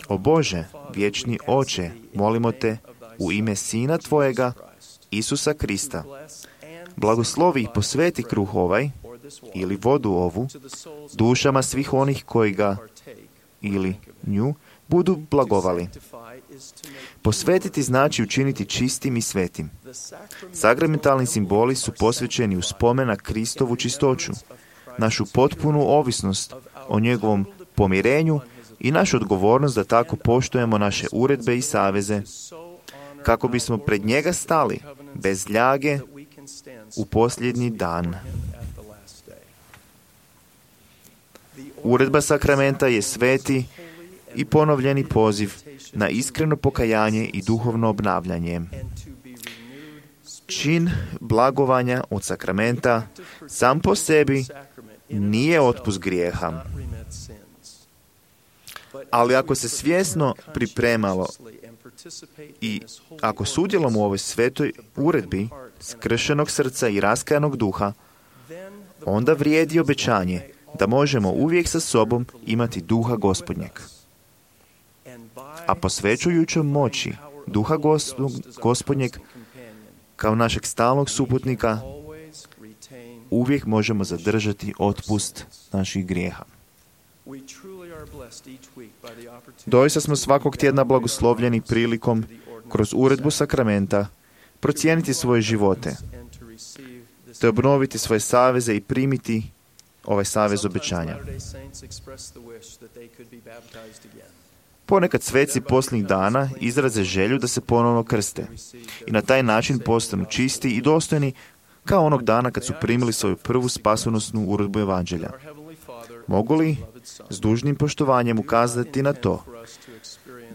O Bože, vječni Oče, molimo te u ime Sina Tvojega, Isusa Krista, blagoslovi i posveti kruh ovaj ili vodu ovu dušama svih onih koji ga ili nju budu blagovali. Posvetiti znači učiniti čistim i svetim. Sakramentalni simboli su posvećeni u spomen na Kristovu čistoću, našu potpunu ovisnost o njegovom pomirenju i našu odgovornost da tako poštujemo naše uredbe i saveze, kako bismo pred njega stali bez ljage u posljednji dan. Uredba sakramenta je sveti i ponovljeni poziv na iskreno pokajanje i duhovno obnavljanje. Čin blagovanja od sakramenta sam po sebi nije otpust grijeha. Ali ako se svjesno pripremalo i ako sudjelom u ovoj svetoj uredbi skršenog srca i raskajanog duha, onda vrijedi obećanje da možemo uvijek sa sobom imati duha Gospodnjeg. A posvećujućom moći duha Gospodnjeg kao našeg stalnog suputnika uvijek možemo zadržati otpust naših grijeha. Doista smo svakog tjedna blagoslovljeni prilikom kroz uredbu sakramenta procijeniti svoje živote, te obnoviti svoje saveze i primiti ovaj savez obećanja. Ponekad sveci posljednjih dana izraze želju da se ponovno krste i na taj način postanu čisti i dostojni kao onog dana kad su primili svoju prvu spasonosnu uredbu evanđelja. Mogu li s dužnim poštovanjem ukazati na to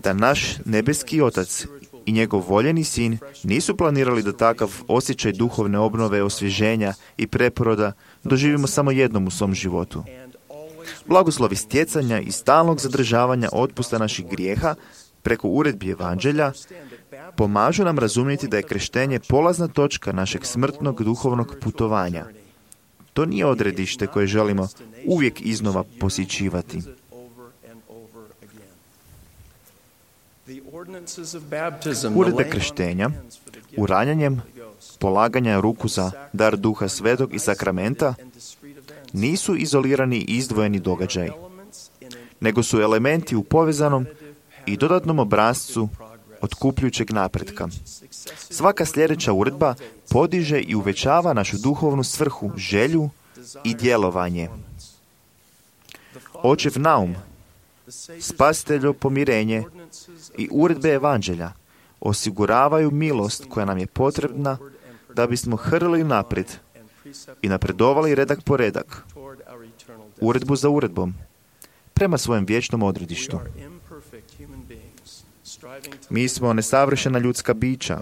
da naš nebeski Otac i njegov voljeni Sin nisu planirali da takav osjećaj duhovne obnove, osvježenja i preporoda doživimo samo jednom u svom životu. Blagoslovi stjecanja i stalnog zadržavanja otpusta naših grijeha preko uredbi evanđelja pomažu nam razumjeti da je krštenje polazna točka našeg smrtnog duhovnog putovanja. To nije odredište koje želimo uvijek iznova posjećivati. Uredbe krštenja, uranjanjem, polaganja ruku za dar Duha Svetog i sakramenta nisu izolirani i izdvojeni događaj, nego su elementi u povezanom i dodatnom obrascu otkupljujućeg napretka. Svaka sljedeća uredba podiže i uvećava našu duhovnu svrhu, želju i djelovanje. Očev naum, spasiteljo pomirenje i uredbe evanđelja osiguravaju milost koja nam je potrebna da bismo hrlili naprijed i napredovali redak po redak, uredbu za uredbom, prema svojem vječnom odredištu. Mi smo nesavršena ljudska bića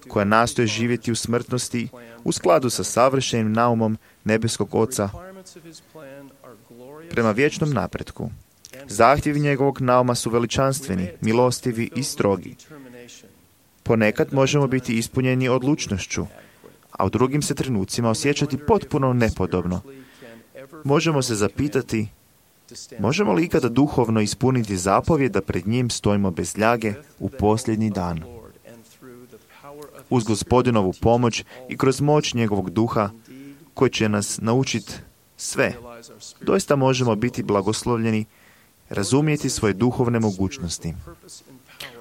koja nastoje živjeti u smrtnosti u skladu sa savršenim naumom nebeskog Oca prema vječnom napretku. Zahtjevi njegovog nauma su veličanstveni, milostivi i strogi. Ponekad možemo biti ispunjeni odlučnošću, a u drugim se trenucima osjećati potpuno nepodobno. Možemo se zapitati, možemo li ikada duhovno ispuniti zapovjed da pred njim stojimo bez ljage u posljednji dan? Uz Gospodinovu pomoć i kroz moć njegovog duha, koji će nas naučiti sve, doista možemo biti blagoslovljeni, razumjeti svoje duhovne mogućnosti.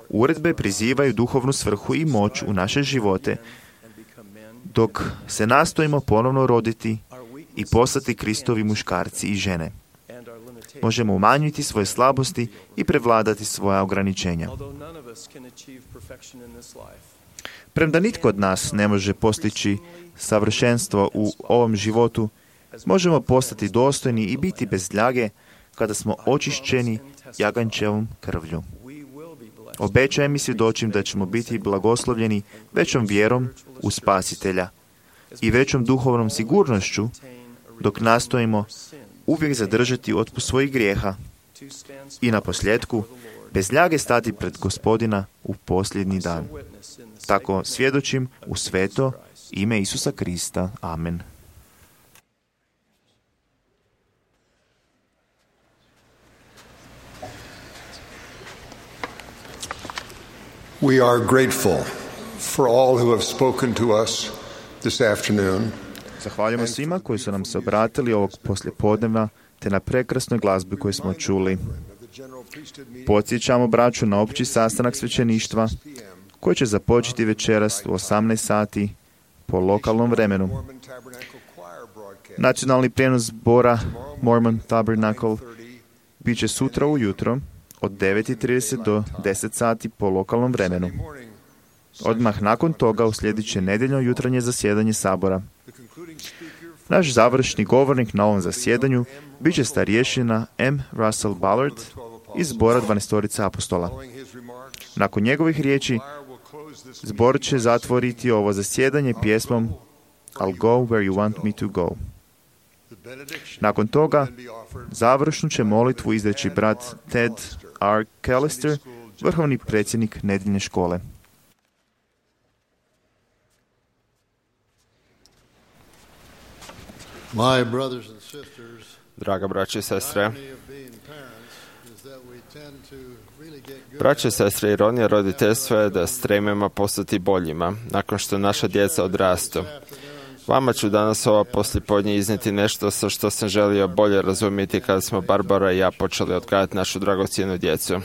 Uredbe prizivaju duhovnu svrhu i moć u naše živote, dok se nastojimo ponovno roditi i postati Kristovi muškarci i žene. Možemo umanjiti svoje slabosti i prevladati svoja ograničenja. Premda nitko od nas ne može postići savršenstvo u ovom životu, možemo postati dostojni i biti bez ljage kada smo očišćeni jaganjčevom krvlju. Obećajem i svjedočim da ćemo biti blagoslovljeni većom vjerom u Spasitelja i većom duhovnom sigurnošću dok nastojimo uvijek zadržati otpust svojih grijeha i na posljedku bez ljage stati pred Gospodina u posljednji dan. Tako svjedočim u sveto ime Isusa Krista. Amen. We are grateful for all who have spoken to us this afternoon. Zahvaljujemo svima koji su nam se obratili ovog poslijepodneva te na prekrasnoj glazbi koju smo čuli. Podsjećamo braću na opći sastanak svećeništva koji će započeti večeras u 18 sati po lokalnom vremenu. Nacionalni prijenos zbora Mormon Tabernacle bit će sutra ujutro od 9:30 do 10 sati po lokalnom vremenu. Odmah nakon toga uslijedit će nedjeljno jutarnje zasjedanje sabora. Naš završni govornik na ovom zasjedanju bit će starješina M. Russell Ballard iz zbora 12 apostola. Nakon njegovih riječi, zbor će zatvoriti ovo zasjedanje pjesmom I'll go where you want me to go. Nakon toga, završnu će molitvu izreći brat Ted R. Callister, vrhovni predsjednik nedjeljne škole. Draga braće i sestre, braće i sestre, ironija roditeljstva je da stremimo postati boljima nakon što naša djeca odrastu. Vama ću danas ovo poslijepodne iznijeti nešto sa što sam želio bolje razumjeti kada smo Barbara i ja počeli odgajati našu dragocjenu djecu.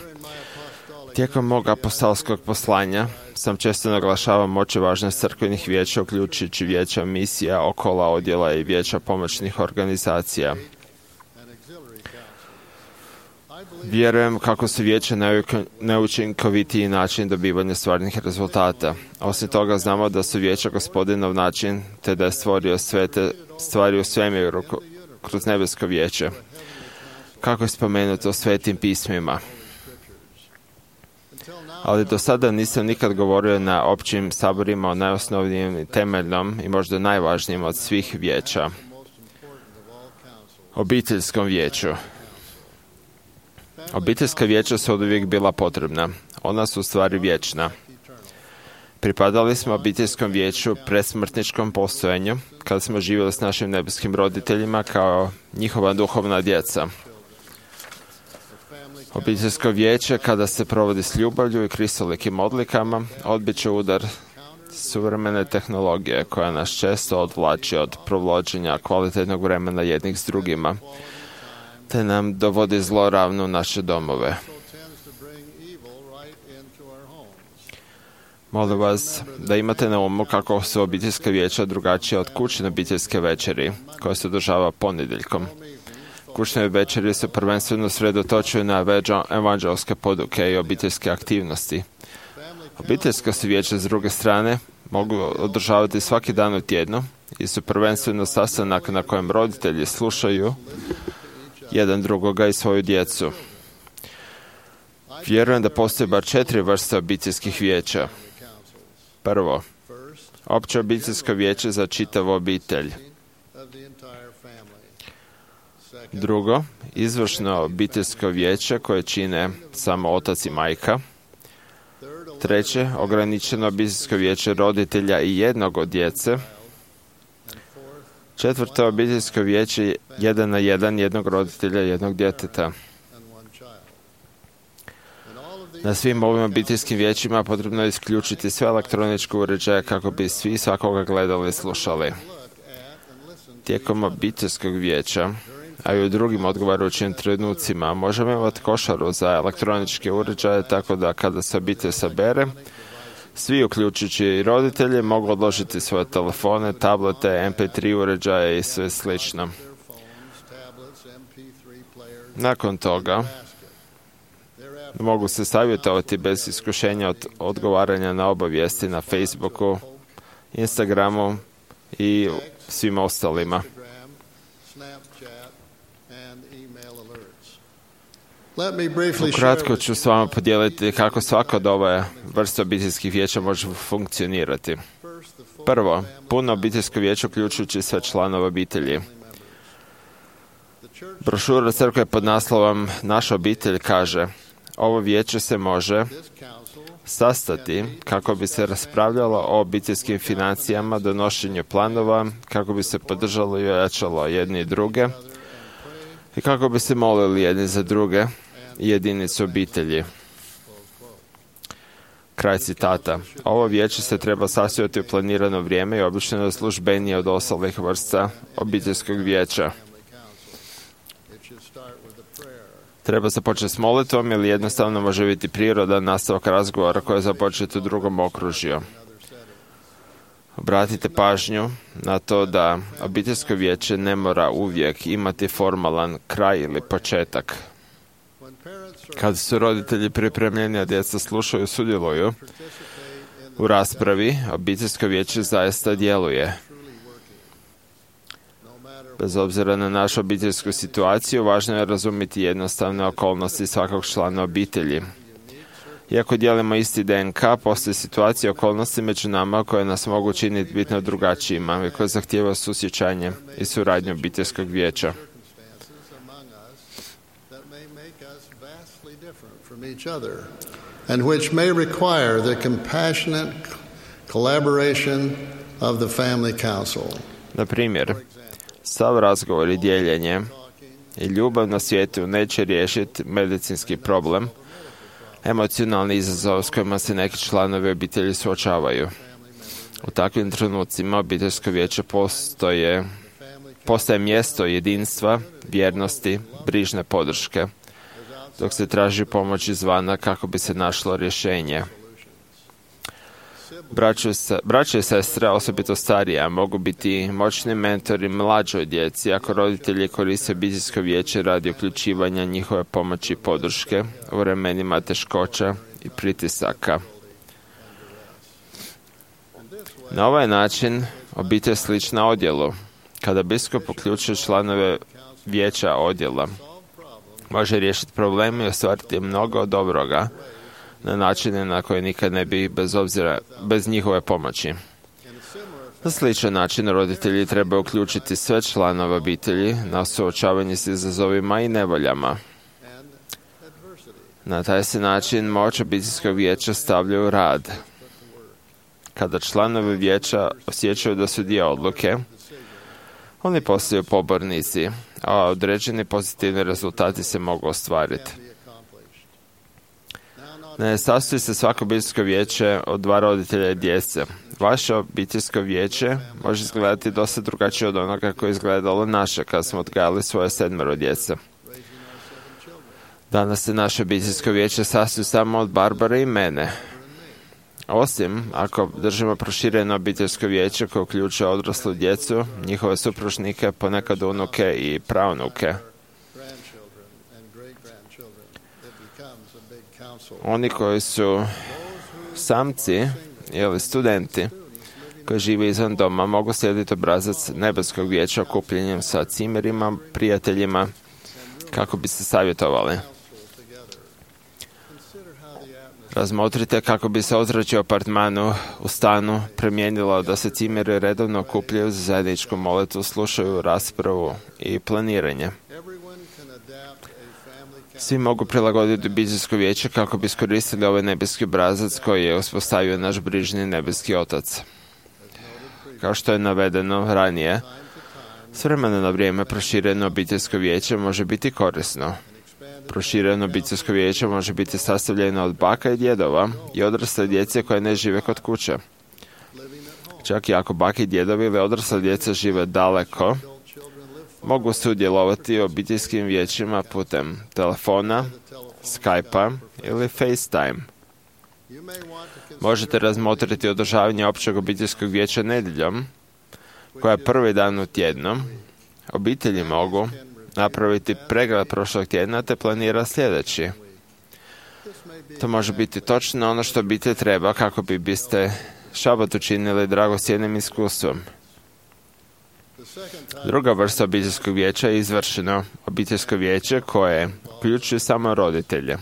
Tijekom mog apostolskog poslanja sam često naglašavao moć i važnost crkvenih vijeća, uključujući vijeća misija, okola, odjela i vijeća pomoćnih organizacija. Vjerujem kako su vijeća neučinkovitiji način dobivanja stvarnih rezultata. Osim toga znamo da su vijeća Gospodinov način, te da je stvorio sve te stvari u svemiru kroz nebesko vijeće. Kako je spomenuto u svetim pismima. Ali do sada nisam nikad govorio na općim saborima o najosnovnijem i temeljnom i možda najvažnijem od svih vijeća. Obiteljskom vijeću. Obiteljska vijeća su oduvijek bila potrebna. Ona su u stvari vječna. Pripadali smo obiteljskom vijeću predsmrtničkom postojanju, kada smo živjeli s našim nebeskim roditeljima kao njihova duhovna djeca. Obiteljsko vijeće, kada se provodi s ljubavlju i kristolikim odlikama, odbit će udar suvremene tehnologije koja nas često odvlači od provođenja kvalitetnog vremena jednih s drugima, te nam dovodi zloravno u naše domove. Molim vas da imate na umu kako su obiteljska vijeća drugačija od kućne obiteljske večeri, koja se održava ponedjeljkom. Kućne večeri se prvenstveno sredotočuju na evanđelske poduke i obiteljske aktivnosti. Obiteljska se vijeća, s druge strane, mogu održavati svaki dan u tjednu i su prvenstveno sastanak na kojem roditelji slušaju jedan drugoga i svoju djecu. Vjerujem da postoji bar 4 vrste obiteljskih vijeća. Prvo, opće obiteljsko vijeće za čitavu obitelj. Drugo, izvršno obiteljsko vijeće koje čine samo otac i majka. Treće, ograničeno obiteljsko vijeće roditelja i jednog od djece. Četvrto, obiteljsko vijeće 1 na 1 jednog roditelja i jednog djeteta. Na svim ovim obiteljskim vijećima potrebno je isključiti sve elektroničke uređaje kako bi svi svakoga gledali i slušali. Tijekom obiteljskog vijeća, a i u drugim odgovarajućim trenucima, možemo imati košaru za elektroničke uređaje, tako da kada se obitelj sabere, svi, uključujući i roditelji, mogu odložiti svoje telefone, tablete, MP3 uređaje i sve slično. Nakon toga, mogu se savjetovati bez iskušenja od odgovaranja na obavijesti na Facebooku, Instagramu i svima ostalima. Ukratko ću s vama podijeliti kako svaka od ove vrste obiteljskih vijeća može funkcionirati. Prvo, puno obiteljsko vijeće uključujući sve članove obitelji. Brošura crkve pod naslovom Naša obitelj kaže: ovo vijeće se može sastati kako bi se raspravljalo o obiteljskim financijama, donošenju planova, kako bi se podržalo i ojačalo jedni i druge i kako bi se molili jedni za druge i jedinicu obitelji. Kraj citata. Ovo vijeće se treba sastojati u planirano vrijeme i obično je službenije od ostalih vrsta obiteljskog vijeća. Treba započeti s molitvom ili jednostavno može biti prirodan nastavak razgovora koji je započet u drugom okružju. Obratite pažnju na to da obiteljsko vijeće ne mora uvijek imati formalan kraj ili početak. Kad su roditelji pripremljeni, a djeca slušaju i sudjeluju u raspravi, obiteljsko vijeće zaista djeluje. Bez obzira na našu obiteljsku situaciju, važno je razumjeti jednostavne okolnosti svakog člana obitelji. Iako dijelimo isti DNK, postoje situacije i okolnosti među nama koje nas mogu činiti bitno drugačijima i koje zahtijevaju susjećanje i suradnju obiteljskog vijeća. And which may require the compassionate collaboration of the family council. Na primjer, sav razgovor i dijeljenje i ljubav na svijetu neće riješiti medicinski problem, emocionalni izazov s kojima se neki članovi obitelji suočavaju. U takvim trenucima obiteljsko vijeće postaje mjesto jedinstva, vjernosti, brižne podrške, dok se traži pomoć izvana kako bi se našlo rješenje. Braće i sestre, osobito starije, mogu biti moćni mentori mlađoj djeci ako roditelji koriste obiteljsko vijeće radi uključivanja njihove pomoći i podrške u vremenima teškoća i pritisaka. Na ovaj način obitelj slična odjelu. Kada biskup uključuje članove vijeća odjela, može riješiti probleme i ostvariti mnogo dobroga na načine na koje nikad ne bi bez njihove pomoći. Na sličan način roditelji trebaju uključiti sve članove obitelji na suočavanje s izazovima i nevoljama. Na taj se način moć obiteljskog vijeća stavlja u rad. Kada članovi vijeća osjećaju da su dio odluke, oni postaju pobornici, a određeni pozitivni rezultati se mogu ostvariti. Ne sastoji se svako obiteljsko vijeće od 2 roditelja i djece. Vaše obiteljsko vijeće može izgledati dosta drugačije od onoga koje je izgledalo naše kad smo odgajali svoje 7 djece. Danas se naše obiteljsko vijeće sastoji samo od Barbare i mene. Osim ako držimo prošireno obiteljsko vijeće koje uključuje odraslu djecu, njihove supružnike, ponekad unuke i praunuke. Oni koji su samci ili studenti koji žive izvan doma mogu slijediti obrazac nebeskog vijeća okupljenjem sa cimerima, prijateljima, kako bi se savjetovali. Razmotrite kako bi se ozračje u apartmanu u stanu promijenilo da se cimeri redovno okupljaju za zajedničku molitvu, slušaju raspravu i planiranje. Svi mogu prilagoditi obiteljsko vijeće kako bi iskoristili ovaj nebeski obrazac koji je uspostavio naš brižni nebeski Otac. Kao što je navedeno ranije, s vremena na vrijeme prošireno obiteljsko vijeće može biti korisno. Prošireno obiteljsko vijeće može biti sastavljeno od baka i djedova i odrasle djece koje ne žive kod kuće. Čak i ako baki i djedovi ili odrasla djeca žive daleko, mogu sudjelovati u obiteljskim vijećima putem telefona, Skype-a ili FaceTime. Možete razmotriti održavanje općeg obiteljskog vijeća nedjeljom, koja je prvi dan u tjednu. Obitelji mogu napraviti pregled prošlog tjedna te planira sljedeći. To može biti točno ono što obitelj treba kako biste šabat učinili dragocjenim iskustvom. Druga vrsta obiteljskog vijeća je izvršeno obiteljsko vijeće koje uključuje samo roditelje.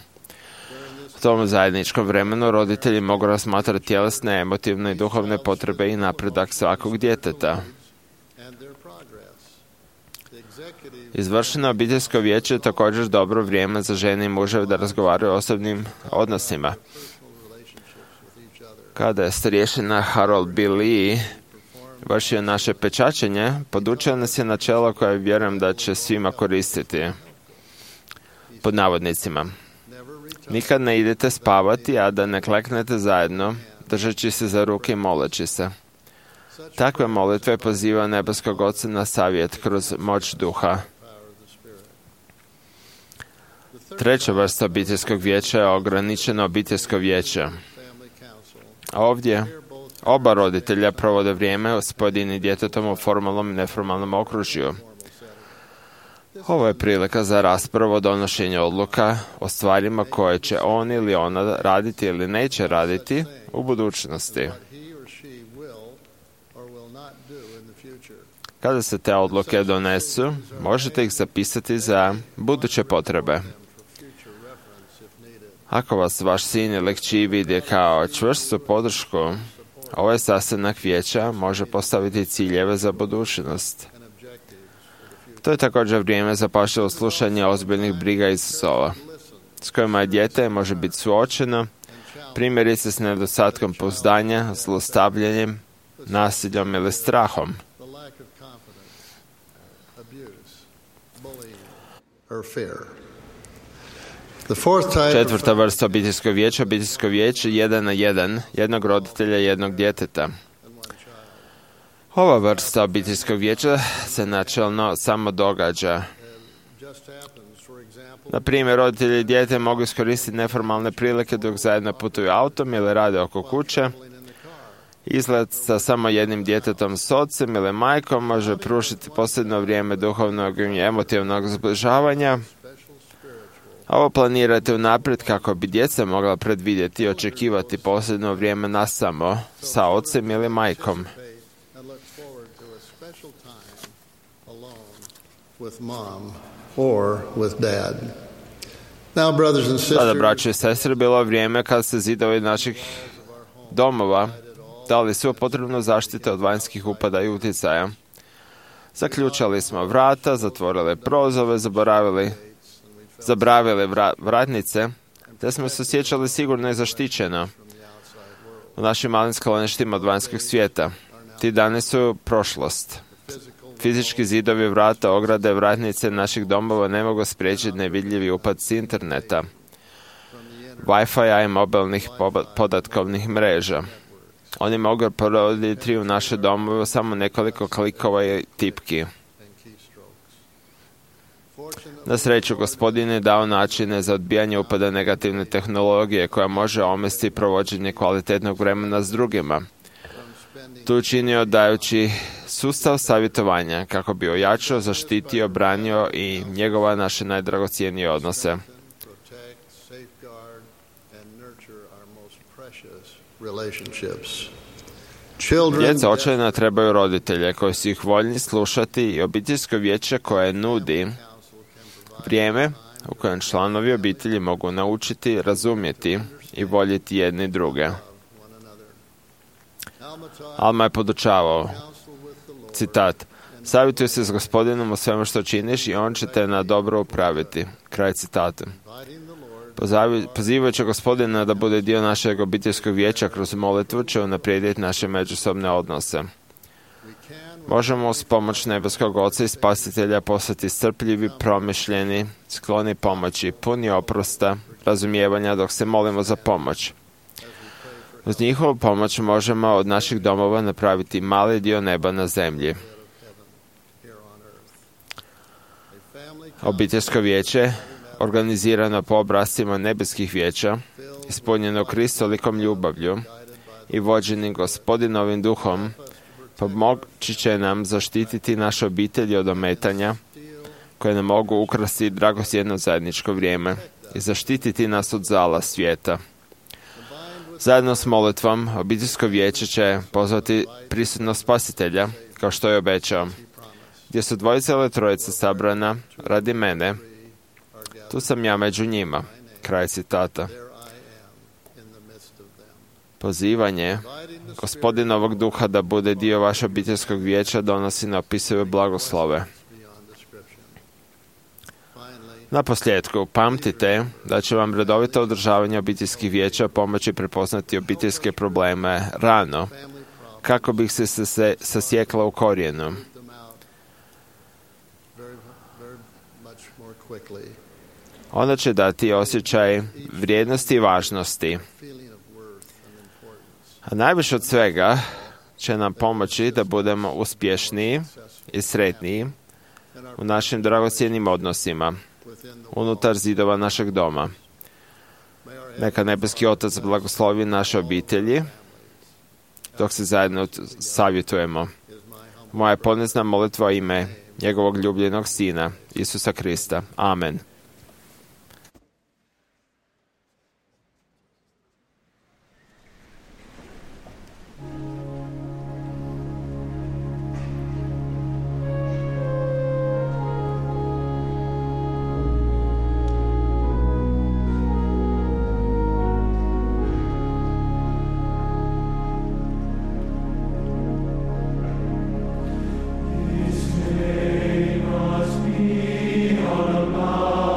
U tom zajedničkom vremenu roditelji mogu razmatrati tjelesne, emotivne i duhovne potrebe i napredak svakog djeteta. Izvršeno obiteljsko vijeće je također dobro vrijeme za žene i muževe da razgovaraju o osobnim odnosima. Kada je starješina Harold B. Lee vršio naše pečačenje, podučio nas je načelo koje vjerujem da će svima koristiti. Pod navodnicima. Nikad ne idete spavati, a da ne kleknete zajedno, držeći se za ruke i moleći se. Takve molitve poziva nebeskog Oca na savjet kroz moć duha. Treća vrsta obiteljskog vijeća je ograničeno obiteljsko vijeće. Ovdje oba roditelja provode vrijeme s pojedinim djetetom u formalnom i neformalnom okružju. Ovo je prilika za raspravu o donošenju odluka o stvarima koje će on ili ona raditi ili neće raditi u budućnosti. Kada se te odluke donesu, možete ih zapisati za buduće potrebe. Ako vas vaš sin ili kći vidi kao čvrstu podršku, ovaj sastanak vijeća može postaviti ciljeve za budućnost. To je također vrijeme za pažljivo slušanje ozbiljnih briga i izazova, s kojima je dijete može biti suočeno, primjerice s nedostatkom pouzdanja, zlostavljanjem, nasiljom ili strahom. Četvrta vrsta obiteljskog vijeća, obiteljsko vijeće 1 na 1, jednog roditelja i jednog djeteta. Ova vrsta obiteljskog vijeća se načelno samo događa. Na primjer, roditelji i dijete mogu iskoristiti neformalne prilike dok zajedno putuju autom ili rade oko kuće. Izlet sa samo jednim djetetom s ocem ili majkom može pružiti posebno vrijeme duhovnog i emotivnog zbližavanja. Ovo planirate unaprijed kako bi djeca mogla predvidjeti i očekivati posebno vrijeme nasamo sa ocem ili majkom. Sada, braće i sestre, bilo vrijeme kad se zidovi naših domova dali svu potrebnu zaštitu od vanjskih upada i utjecaja. Zaključali smo vrata, zatvorili prozove, zabravili vratnice, te smo se osjećali sigurno i zaštićeno u našim malim skloništima od vanjskog svijeta. Ti dani su prošlost. Fizički zidovi, vrata, ograde, vratnice naših domova ne mogu spriječiti nevidljivi upad s interneta, Wi-Fi-a i mobilnih podatkovnih mreža. Oni mogu provoditi u naše domove samo nekoliko klikova i tipki. Na sreću, Gospodin je dao načine za odbijanje upada negativne tehnologije koja može omesti provođenje kvalitetnog vremena s drugima. To učinio dajući sustav savjetovanja kako bi ojačao, zaštitio, branio i njegova naše najdragocjenije odnose. Djeca očajno trebaju roditelje koji su ih voljni slušati i obiteljsko vijeće koje nudi vrijeme u kojem članovi obitelji mogu naučiti, razumjeti i voljeti jedni druge. Alma je podučavao, citat, Savjetuj se s Gospodinom o svemu što činiš i on će te na dobro upraviti. Kraj citata. Pozivajući Gospodina da bude dio našeg obiteljskog vijeća kroz molitvu će unaprijediti naše međusobne odnose. Možemo uz pomoć nebeskog Oca i Spasitelja postati strpljivi, promišljeni, skloni pomoći, puni oprosta, razumijevanja dok se molimo za pomoć. Uz njihovu pomoć možemo od naših domova napraviti mali dio neba na zemlji. Obiteljsko vijeće, organizirano po obrascima nebeskih vijeća, ispunjeno kristolikom ljubavlju i vođenim Gospodinovim duhom, pomoći će nam zaštititi naše obitelji od ometanja koje nam mogu ukrasti dragocjeno zajedničko vrijeme i zaštititi nas od zala svijeta. Zajedno s molitvom, obiteljsko vijeće će pozvati prisutnost Spasitelja, kao što je obećao. Gdje su dvojica ili trojica sabrana radi mene, tu sam ja među njima. Kraj citata. Pozivanje Gospodinovog duha da bude dio vašeg obiteljskog vijeća donosi neopisive blagoslove. Na posljedku, pamtite da će vam redovito održavanje obiteljskih vijeća pomoći prepoznati obiteljske probleme rano, kako bi se sasjekla u korijenu. Ono će dati osjećaj vrijednosti i važnosti. A najviše od svega će nam pomoći da budemo uspješniji i sretniji u našim dragocjenim odnosima unutar zidova našeg doma. Neka nebeski Otac blagoslovi naše obitelji dok se zajedno savjetujemo. Moja ponizna molitva ime njegovog ljubljenog Sina, Isusa Krista. Amen. Must be on a mountain.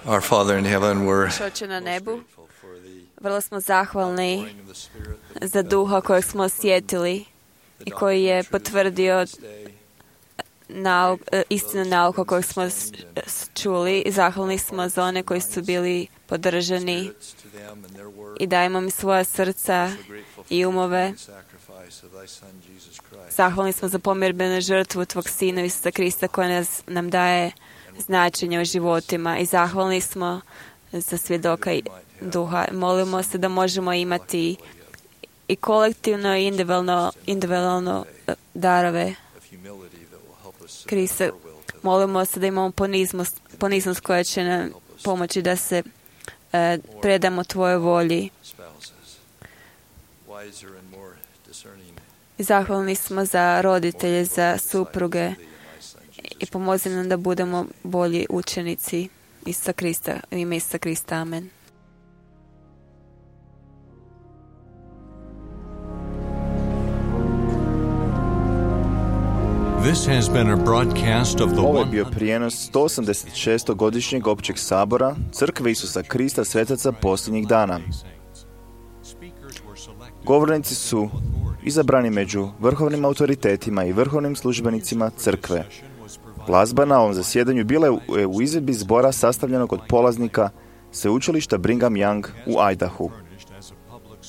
Our Father in heaven, we're Oče na nebu, vrlo smo zahvalni za duha kojeg smo osjetili i koji je potvrdio istinu nauka koju smo čuli. I zahvalni smo za one koji su bili podržani i dajemo mi svoja srca i umove. Zahvalni smo za pomirbenu žrtvu Tvog Sina Isusa Krista koja nam daje značenje u životima i zahvalni smo za svjedoka duha. Molimo se da možemo imati i kolektivno i individualno darove Krista. Molimo se da imamo poniznost koja će nam pomoći da se predamo Tvojoj volji. I zahvalni smo za roditelje, za supruge i pomozi nam da budemo bolji učenici Isusa Krista, u ime Isusa Krista. Amen. This has been a broadcast of the Ovo je bio prijenos 186. godišnjeg općeg sabora Crkve Isusa Krista svetaca posljednjih dana. Govornici su izabrani među vrhovnim autoritetima i vrhovnim službenicima Crkve. Glazba na ovom zasjedanju bila je u izvedbi zbora sastavljenog od polaznika sveučilišta Brigham Young u Idahu.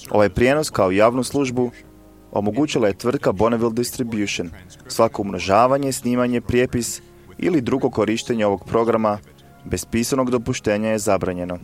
Ovaj prijenos kao javnu službu omogućila je tvrtka Bonneville Distribution. Svako umnožavanje, snimanje, prijepis ili drugo korištenje ovog programa bez pisanog dopuštenja je zabranjeno.